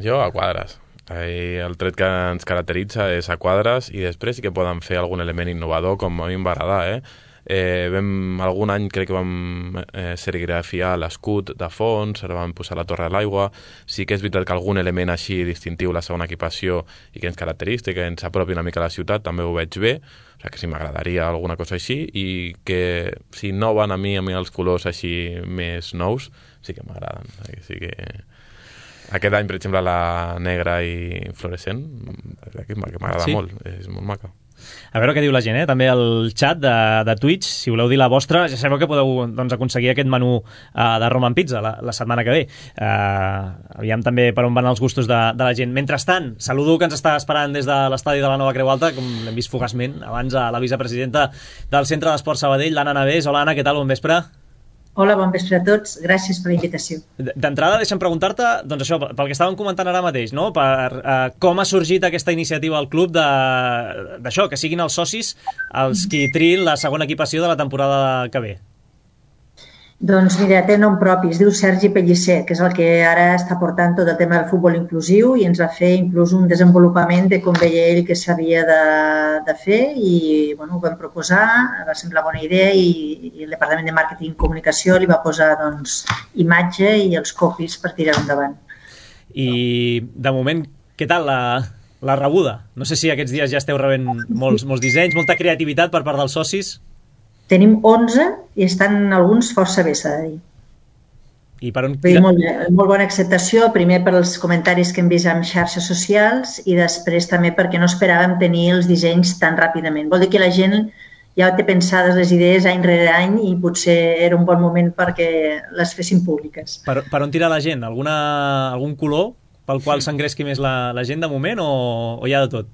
S3: Jo a quadres. El tret que ens caracteritza és a quadres, i després sí que poden fer algun element innovador, com a mi em va agradar, eh? Eh, vam, algun any crec que vam eh, serigrafiar l'escut de fons, ara vam posar la Torre de l'Aigua. Sí que és veritat que algun element així distintiu, la segona equipació, i que ens caracteritza, que ens apropi una mica a la ciutat, també ho veig bé. O sigui que sí, m'agradaria alguna cosa així, i que si no van a mi, a mi els colors així més nous, sí que m'agraden. Sí que... Aquest any, per exemple, la negra i fluorescent, que m'agrada sí. molt, és molt maca.
S2: A veure què diu la gent, eh? També al xat de, de Twitch, si voleu dir la vostra, ja sabeu que podeu doncs, aconseguir aquest menú uh, de Roman Pizza la, la setmana que ve. Uh, aviam també per on van els gustos de, de la gent. Mentrestant, saludo que ens està esperant des de l'estadi de la Nova Creu Alta, com l'hem vist fugaçment abans, a la vicepresidenta del Centre d'Esport Sabadell, l'Anna Navés. Hola, Anna, què tal? Bon vespre.
S8: Hola, bon vespre a tots. Gràcies per la invitació.
S2: D'entrada, deixa'm preguntar-te, doncs això, pel que estàvem comentant ara mateix, no? Per uh, com ha sorgit aquesta iniciativa al club d'això, que siguin els socis els qui triïn la segona equipació de la temporada que ve.
S8: Doncs mira, té nom propi, es diu Sergi Pellicer, que és el que ara està portant tot el tema del futbol inclusiu i ens va fer inclús un desenvolupament de com veia ell que s'havia de, de fer i bueno, ho vam proposar, va semblar bona idea i, i el Departament de Màrqueting i Comunicació li va posar doncs, imatge i els copies per tirar endavant.
S2: I de moment, què tal la, la rebuda? No sé si aquests dies ja esteu rebent molts, molts dissenys, molta creativitat per part dels socis.
S8: Tenim onze i estan alguns força bé, s'ha de dir.
S2: I per on...
S8: Molt, molt bona acceptació, primer per els comentaris que hem vist en xarxes socials i després també perquè no esperàvem tenir els dissenys tan ràpidament. Vol dir que la gent ja té pensades les idees any rere any i potser era un bon moment perquè les fessin públiques.
S2: Per, per on tira la gent? Alguna, algun color pel qual s'engresqui més la, la gent de moment o, o hi ha de tot?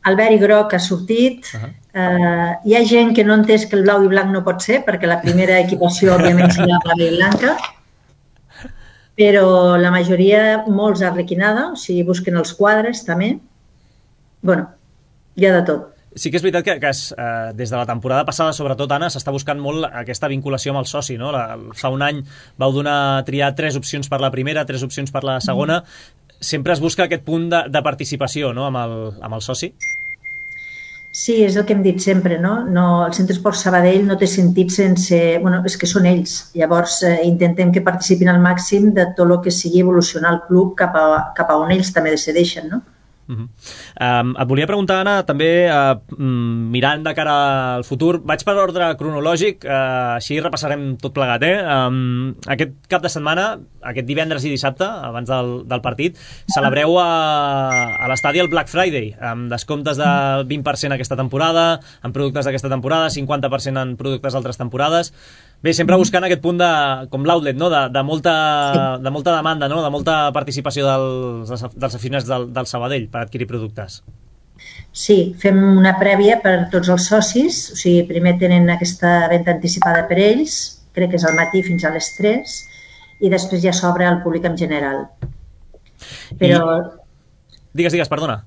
S8: El verd i groc ha sortit. Uh -huh. uh, hi ha gent que no ha entès que el blau i blanc no pot ser, perquè la primera equipació òbviament serà blava i blanca, però la majoria, molts arlequinada, o sigui, busquen els quadres també. Bueno, hi ha de tot.
S2: Sí que és veritat que, que es, eh, des de la temporada passada, sobretot, Anna, s'està buscant molt aquesta vinculació amb el soci, no? La, fa un any vau donar triar tres opcions per la primera, tres opcions per la segona. Mm. Sempre es busca aquest punt de, de participació, no?, amb el, amb el soci?
S8: Sí, és el que hem dit sempre, no? no el Centre Esport Sabadell no té sentit sense... Bueno, és que són ells. Llavors, eh, intentem que participin al màxim de tot el que sigui evolucionar el club cap a, cap a on ells també decideixen, no?
S2: Uh-huh. um, et volia preguntar, Anna, també uh, mirant de cara al futur, vaig per ordre cronològic, uh, així repassarem tot plegat, eh? Um, aquest cap de setmana, aquest divendres i dissabte, abans del, del partit, celebreu a, a l'estadi el Black Friday, amb descomptes del vint per cent aquesta temporada, en productes d'aquesta temporada, cinquanta per cent en productes d'altres temporades. Bé, sempre buscant aquest punt de, com l'outlet, no? de, de, molta, sí. de molta demanda, no? De molta participació dels, dels aficionats del, del Sabadell per adquirir productes.
S8: Sí, fem una prèvia per tots els socis, o sigui, primer tenen aquesta venda anticipada per ells, crec que és al matí fins a les tres, i després ja s'obre al públic en general. Però...
S2: I... Digues, digues, perdona.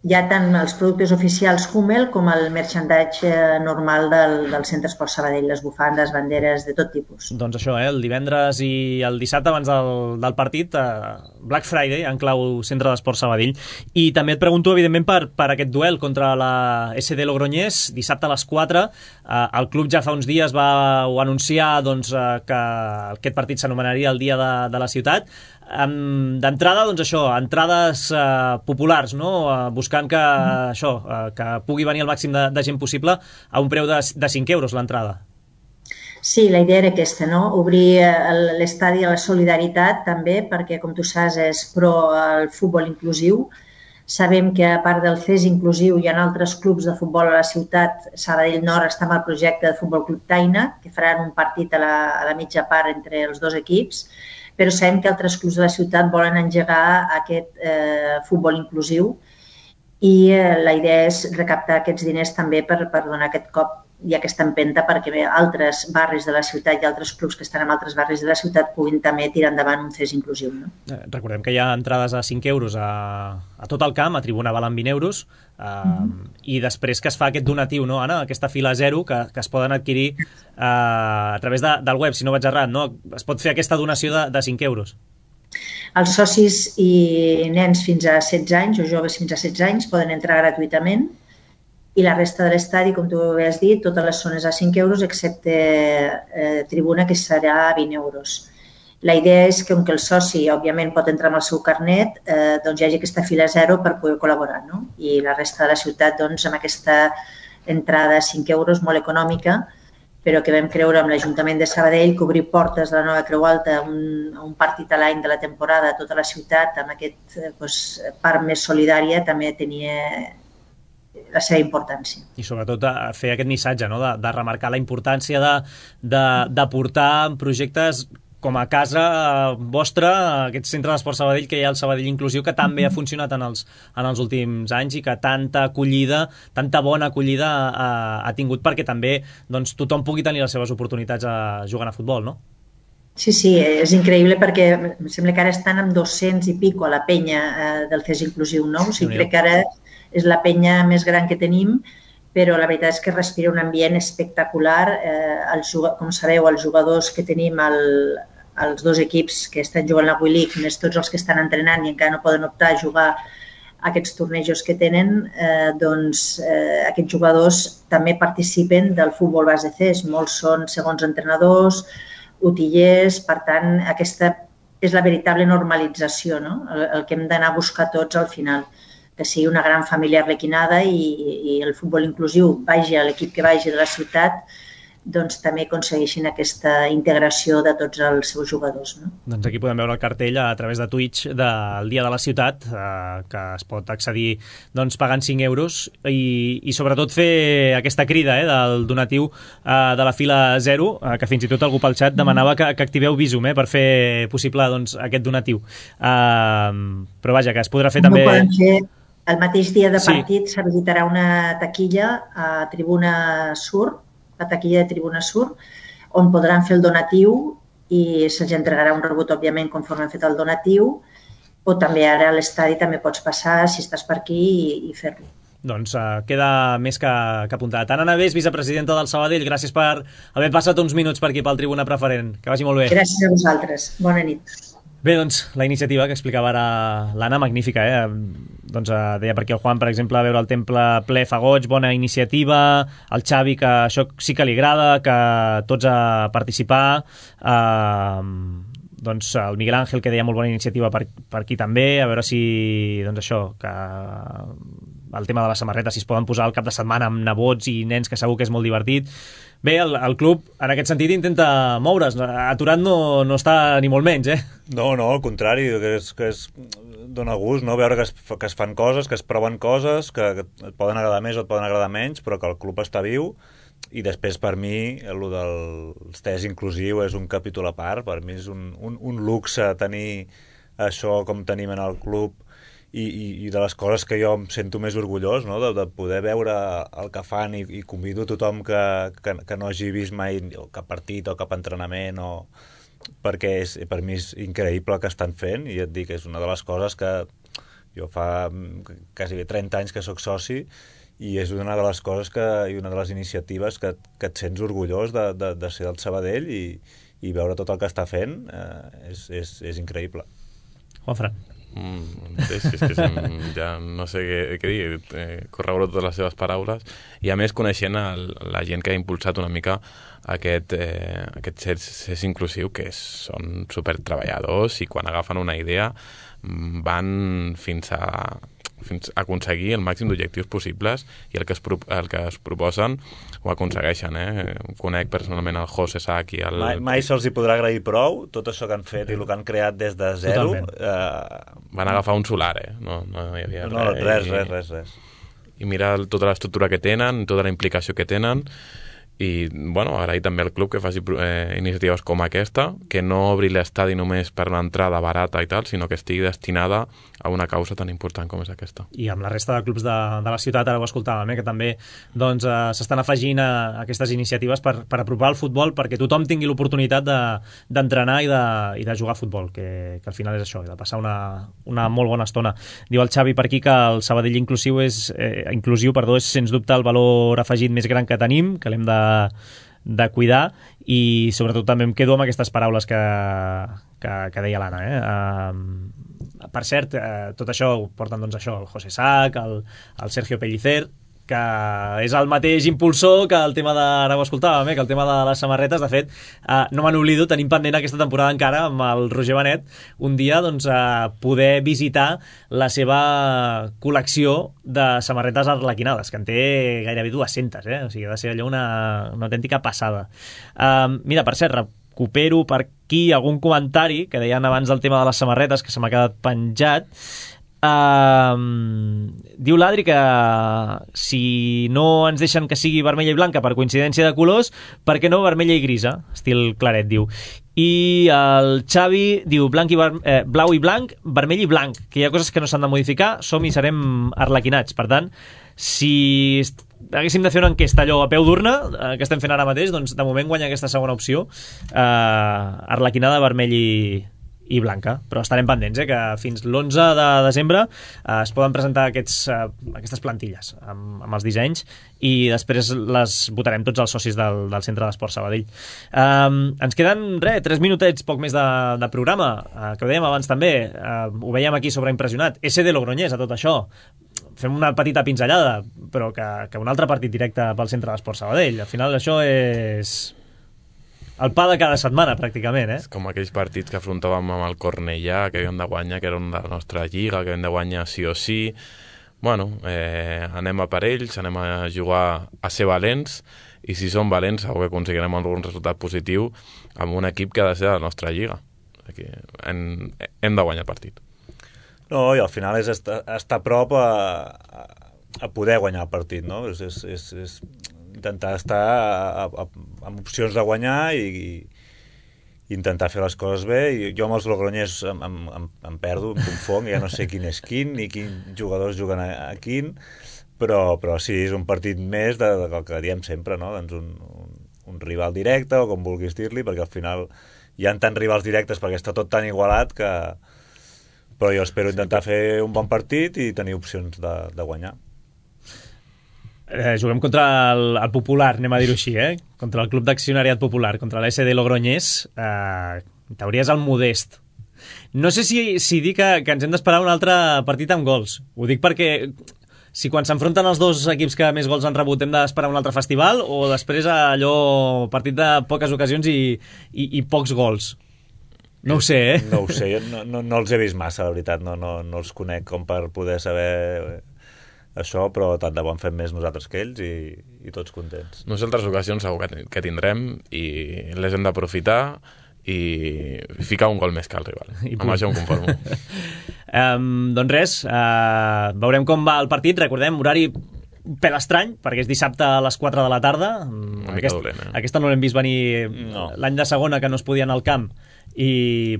S8: hi ha tant els productes oficials Hummel com el merchandise normal del, del Centre Esport Sabadell, les bufandes, banderes, de tot tipus.
S2: Doncs això, eh? El divendres i el dissabte abans del, del partit, eh, Black Friday, en clau Centre d'Esport Sabadell. I també et pregunto, evidentment, per, per aquest duel contra la S D Logroñés, dissabte a les quatre. Eh, el club ja fa uns dies va ho anunciar doncs, eh, que aquest partit s'anomenaria el Dia de, de la Ciutat. Um, d'entrada, doncs això, entrades uh, populars, no? Uh, buscant que, uh, això, uh, que pugui venir el màxim de, de gent possible a un preu de, de cinc euros l'entrada.
S8: Sí, la idea era aquesta, no? Obrir l'estadi a la solidaritat també, perquè, com tu saps, és pro al futbol inclusiu. Sabem que, a part del C E S inclusiu, hi ha altres clubs de futbol a la ciutat. Sabadell Nord està amb el projecte de Futbol Club Taina, que faran un partit a la, a la mitja part entre els dos equips, però sabem que altres clubs de la ciutat volen engegar aquest eh, futbol inclusiu i eh, la idea és recaptar aquests diners també per, per donar aquest cop i aquesta empenta perquè bé, altres barris de la ciutat i altres clubs que estan en altres barris de la ciutat puguin també tirar endavant un C E S inclusiu. No?
S2: Recordem que hi ha entrades a cinc euros a, a tot el camp, a tribuna valen vint euros, uh, mm-hmm. i després que es fa aquest donatiu, no, Anna? Aquesta fila zero que, que es poden adquirir uh, a través de, del web, si no vaig errat, no? Es pot fer aquesta donació de, de cinc euros.
S8: Els socis i nens fins a setze anys o joves fins a setze anys poden entrar gratuïtament i la resta de l'estadi, com tu has dit, totes les zones a cinc euros, excepte eh, tribuna, que serà a vint euros. La idea és que, com que el soci, òbviament, pot entrar amb el seu carnet, eh, doncs hi hagi aquesta fila zero per poder col·laborar, no? I la resta de la ciutat, doncs, amb aquesta entrada a cinc euros, molt econòmica, però que vam creure amb l'Ajuntament de Sabadell que obrir portes de la nova Creu Alta a un, un partit a l'any de la temporada a tota la ciutat, amb aquest eh, doncs, part més solidària, també tenia la seva importància.
S2: I sobretot fer aquest missatge, no? de, de remarcar la importància de, de, de portar projectes com a casa vostra, aquest centre d'esport Sabadell que hi ha el Sabadell Inclusiu, que també ha funcionat en els, en els últims anys i que tanta acollida, tanta bona acollida ha, ha tingut perquè també doncs, tothom pugui tenir les seves oportunitats a jugant a futbol, no?
S8: Sí, sí, és increïble perquè em sembla que ara estan amb dos-cents i pico a la penya eh, del C E S Inclusiu, no? O sigui, crec que ara és la penya més gran que tenim, però la veritat és que respira un ambient espectacular. Eh, els, com sabeu, els jugadors que tenim al, als dos equips que estan jugant la W League, més tots els que estan entrenant i encara no poden optar a jugar a aquests tornejos que tenen, eh, doncs eh, aquests jugadors també participen del futbol base C E S. Molts són segons entrenadors, utillers, per tant, aquesta és la veritable normalització, no? el, el que hem d'anar a buscar tots al final, que sigui una gran família arlequinada i, i el futbol inclusiu vagi a l'equip que vagi de la ciutat, doncs també aconsegueixin aquesta integració de tots els seus jugadors. No?
S2: Doncs aquí podem veure el cartell a través de Twitch del Dia de la Ciutat, eh, que es pot accedir doncs, pagant cinc euros i, i sobretot fer aquesta crida eh, del donatiu eh, de la fila zero, eh, que fins i tot algú pel xat demanava que, que activeu Bizum eh, per fer possible doncs, aquest donatiu. Eh, però vaja, que es podrà fer
S8: no
S2: també...
S8: Poden fer el mateix dia de partit,
S2: sí.
S8: S'habilitarà una taquilla a Tribuna Sur, la taquilla de Tribuna Sur, on podran fer el donatiu i se'ls entregarà un rebut, òbviament, conforme han fet el donatiu, o també ara a l'estadi també pots passar, si estàs per aquí, i, i fer-lo.
S2: Doncs uh, queda més que, que apuntat. Anna Navés, vicepresidenta del Sabadell, gràcies per haver passat uns minuts per aquí pel Tribuna Preferent. Que vagi molt bé.
S8: Gràcies a vosaltres. Bona nit.
S2: Bé, doncs, la iniciativa que explicava ara l'Anna, magnífica, eh? Doncs eh, deia per aquí el Juan, per exemple, veure el temple ple fa goig, bona iniciativa, el Xavi, que això sí que li agrada, que tots a participar, eh, doncs el Miguel Ángel, que deia molt bona iniciativa per, per aquí també, a veure si, doncs això, que el tema de les samarretes, si es poden posar al cap de setmana amb nebots i nens, que segur que és molt divertit. Bé, el, el club, en aquest sentit, intenta moure's. Aturat no, no està ni molt menys, eh?
S4: No, no, al contrari, que és, que és, dona gust, no?, veure que es, que es fan coses, que es proven coses, que, que et poden agradar més o et poden agradar menys, però que el club està viu. I després, per mi, el del C E S inclusiu és un capítol a part. Per mi és un, un, un luxe tenir això com tenim en el club. I, i, i de les coses que jo em sento més orgullós, no? de, de poder veure el que fan i, i convido a tothom que, que, que no hagi vist mai cap partit o cap entrenament, o... perquè és, per mi és increïble el que estan fent i et dic, és una de les coses que, Jo fa quasi trenta anys que sóc soci i és una de les coses que, i una de les iniciatives que, que et sents orgullós de, de, de ser del Sabadell i, i veure tot el que està fent eh, és, és, és increïble.
S2: Juanfran.
S3: Mm, és, és que sem, ja no sé què, què dir, eh, corroboro totes les seves paraules i a més coneixent el, la gent que ha impulsat una mica aquest, eh, aquest C E S inclusiu, que és, són supertreballadors i quan agafen una idea van fins a fins a aconseguir el màxim d'objectius possibles i el que es, pro, el que es proposen ho aconsegueixen, eh? Conec personalment el José Sac i el...
S4: Mai, mai se'ls hi podrà agrair prou tot això que han fet i el que han creat des de zero. Eh...
S3: Van agafar un solar, eh? No, no hi havia
S4: no,
S3: res.
S4: res,
S3: i,
S4: res, res, res.
S3: I mira tota l'estructura que tenen, tota la implicació que tenen i, bueno, agrair també al club que faci eh, iniciatives com aquesta, que no obri l'estadi només per l'entrada barata i tal, sinó que estigui destinada a una causa tan important com és aquesta.
S2: I amb la resta de clubs de, de la ciutat, ara ho escoltàvem, eh, que també doncs, eh, s'estan afegint a, a aquestes iniciatives per, per apropar el futbol, perquè tothom tingui l'oportunitat d'entrenar de, i, de, i de jugar a futbol, que, que al final és això, de passar una, una molt bona estona. Diu el Xavi per aquí que el Sabadell inclusiu és, eh, inclusiu perdó, és sens dubte el valor afegit més gran que tenim, que l'hem de de cuidar i sobretot també em quedo amb aquestes paraules que, que, que deia l'Anna, eh? Uh, per cert, uh, tot això ho porten doncs això, el José Sac, el, el Sergio Pellicer, que és el mateix impulsor que el tema de, ara ho escoltàvem, eh, que el tema de les samarretes. De fet, eh, no me n'oblido, tenim pendent aquesta temporada encara amb el Roger Benet un dia doncs, eh, poder visitar la seva col·lecció de samarretes arlequinades, que en té gairebé dues-centes, eh? O sigui, ha de ser allò una, una autèntica passada. Eh, mira, per cert, recupero per aquí algun comentari que deien abans del tema de les samarretes, que se m'ha quedat penjat. Uh, diu l'Adri que si no ens deixen que sigui vermella i blanca per coincidència de colors, per què no vermella i grisa, estil claret, diu. I el Xavi diu blanc i ver- eh, blau i blanc, vermell i blanc, que hi ha coses que no s'han de modificar, som i serem arlequinats. Per tant, si haguéssim de fer una enquesta allò a peu d'urna, eh, que estem fent ara mateix, doncs de moment guanya aquesta segona opció, eh, arlequinada, vermell i i blanca, però estarem pendents, eh, que fins l'onze de desembre eh, es poden presentar aquests, eh, aquestes plantilles amb, amb els dissenys i després les votarem tots els socis del, del Centre d'Esport Sabadell. Um, ens queden, res, tres minutets, poc més de, de programa, eh, que ho dèiem abans també, eh, ho veiem aquí sobreimpressionat, S D Logroñés a tot això, fem una petita pinzellada, però que, que un altre partit directe pel Centre d'Esport Sabadell, al final això és el pa de cada setmana, pràcticament, eh?
S3: És com aquells partits que afrontàvem amb el Cornellà, que havíem de guanyar, que era una de la nostra lliga, que havíem de guanyar sí o sí. Bueno, eh, anem a per ells, anem a jugar a ser valents, i si som valents segur que aconseguirem algun resultat positiu amb un equip que ha de ser de la nostra lliga. Aquí hem, hem de guanyar el partit.
S4: No, i al final és estar, estar a prop a, a, a poder guanyar el partit, no? És, és, és, és intentar estar a, a, amb opcions de guanyar i, i intentar fer les coses bé. I jo amb els logroñers em, em, em, em perdo, em confong, ja no sé quin és quin ni quins jugadors juguen a, a quin, però, però sí, és un partit més de, de, del que diem sempre, no? Doncs un, un, un rival directe, o com vulguis dir-li, perquè al final hi ha tants rivals directes perquè està tot tan igualat que... Però jo espero intentar fer un bon partit i tenir opcions de, de guanyar.
S2: Eh, juguem contra el, el Popular, anem a dir-ho així, eh? Contra el Club d'Accionariat Popular, contra l'S D Logroñés. Eh, en teoria és el Modest. No sé si, si dir que, que ens hem d'esperar un altre partit amb gols. Ho dic perquè si quan s'enfronten els dos equips que més gols han rebut hem d'esperar un altre festival, o després allò partit de poques ocasions i, i, i pocs gols. No ho sé, eh?
S4: No ho sé, no, no, no els he vist massa, la veritat, no, no, no els conec com per poder saber això, però tant de bo en fem més nosaltres que ells i, i tots contents.
S3: No sé, altres ocasions segur que, que tindrem i les hem d'aprofitar i ficar un gol més que el rival. I amb això em conformo.
S2: um, doncs res, uh, veurem com va el partit. Recordem, horari pel estrany, perquè és dissabte a les quatre de la tarda.
S3: Una
S2: Aquest,
S3: dolent, eh?
S2: Aquesta no l'hem vist venir no. L'any de segona, que no es podia anar al camp i,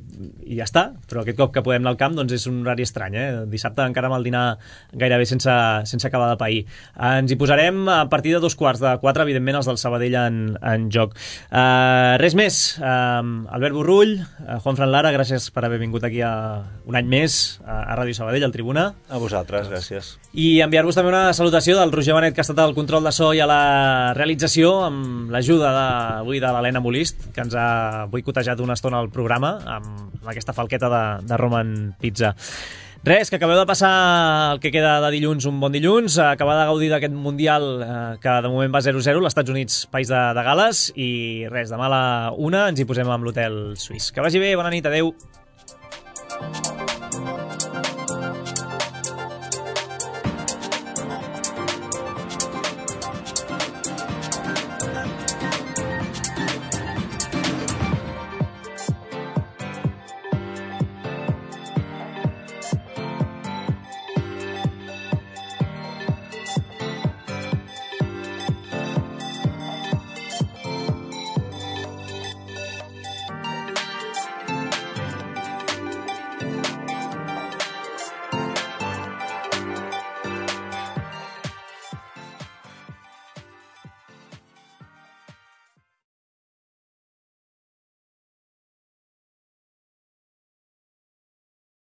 S2: i ja està, però aquest cop que podem anar al camp doncs és un horari estrany, eh? Dissabte encara amb el dinar gairebé sense, sense acabar de pair. Ens hi posarem a partir de dos quarts de quatre, evidentment els del Sabadell en, en joc. Uh, res més, uh, Albert Borrull, uh, Juan Fran Lara, gràcies per haver vingut aquí a, un any més a, a Ràdio Sabadell, al Tribuna.
S4: A vosaltres, gràcies.
S2: I enviar-vos també una salutació del Roger Benet, que ha estat al control de so i a la realització, amb l'ajuda avui de l'Helena Molist, que ens ha boicotejat una estona al programa amb aquesta falqueta de, de Roman Pizza. Res, que acabeu de passar el que queda de dilluns un bon dilluns, acabar de gaudir d'aquest Mundial eh, que de moment va zero zero, als Estats Units, país de, de Gales, i res, demà a la una ens hi posem amb l'hotel suís. Que vagi bé, bona nit, adeu.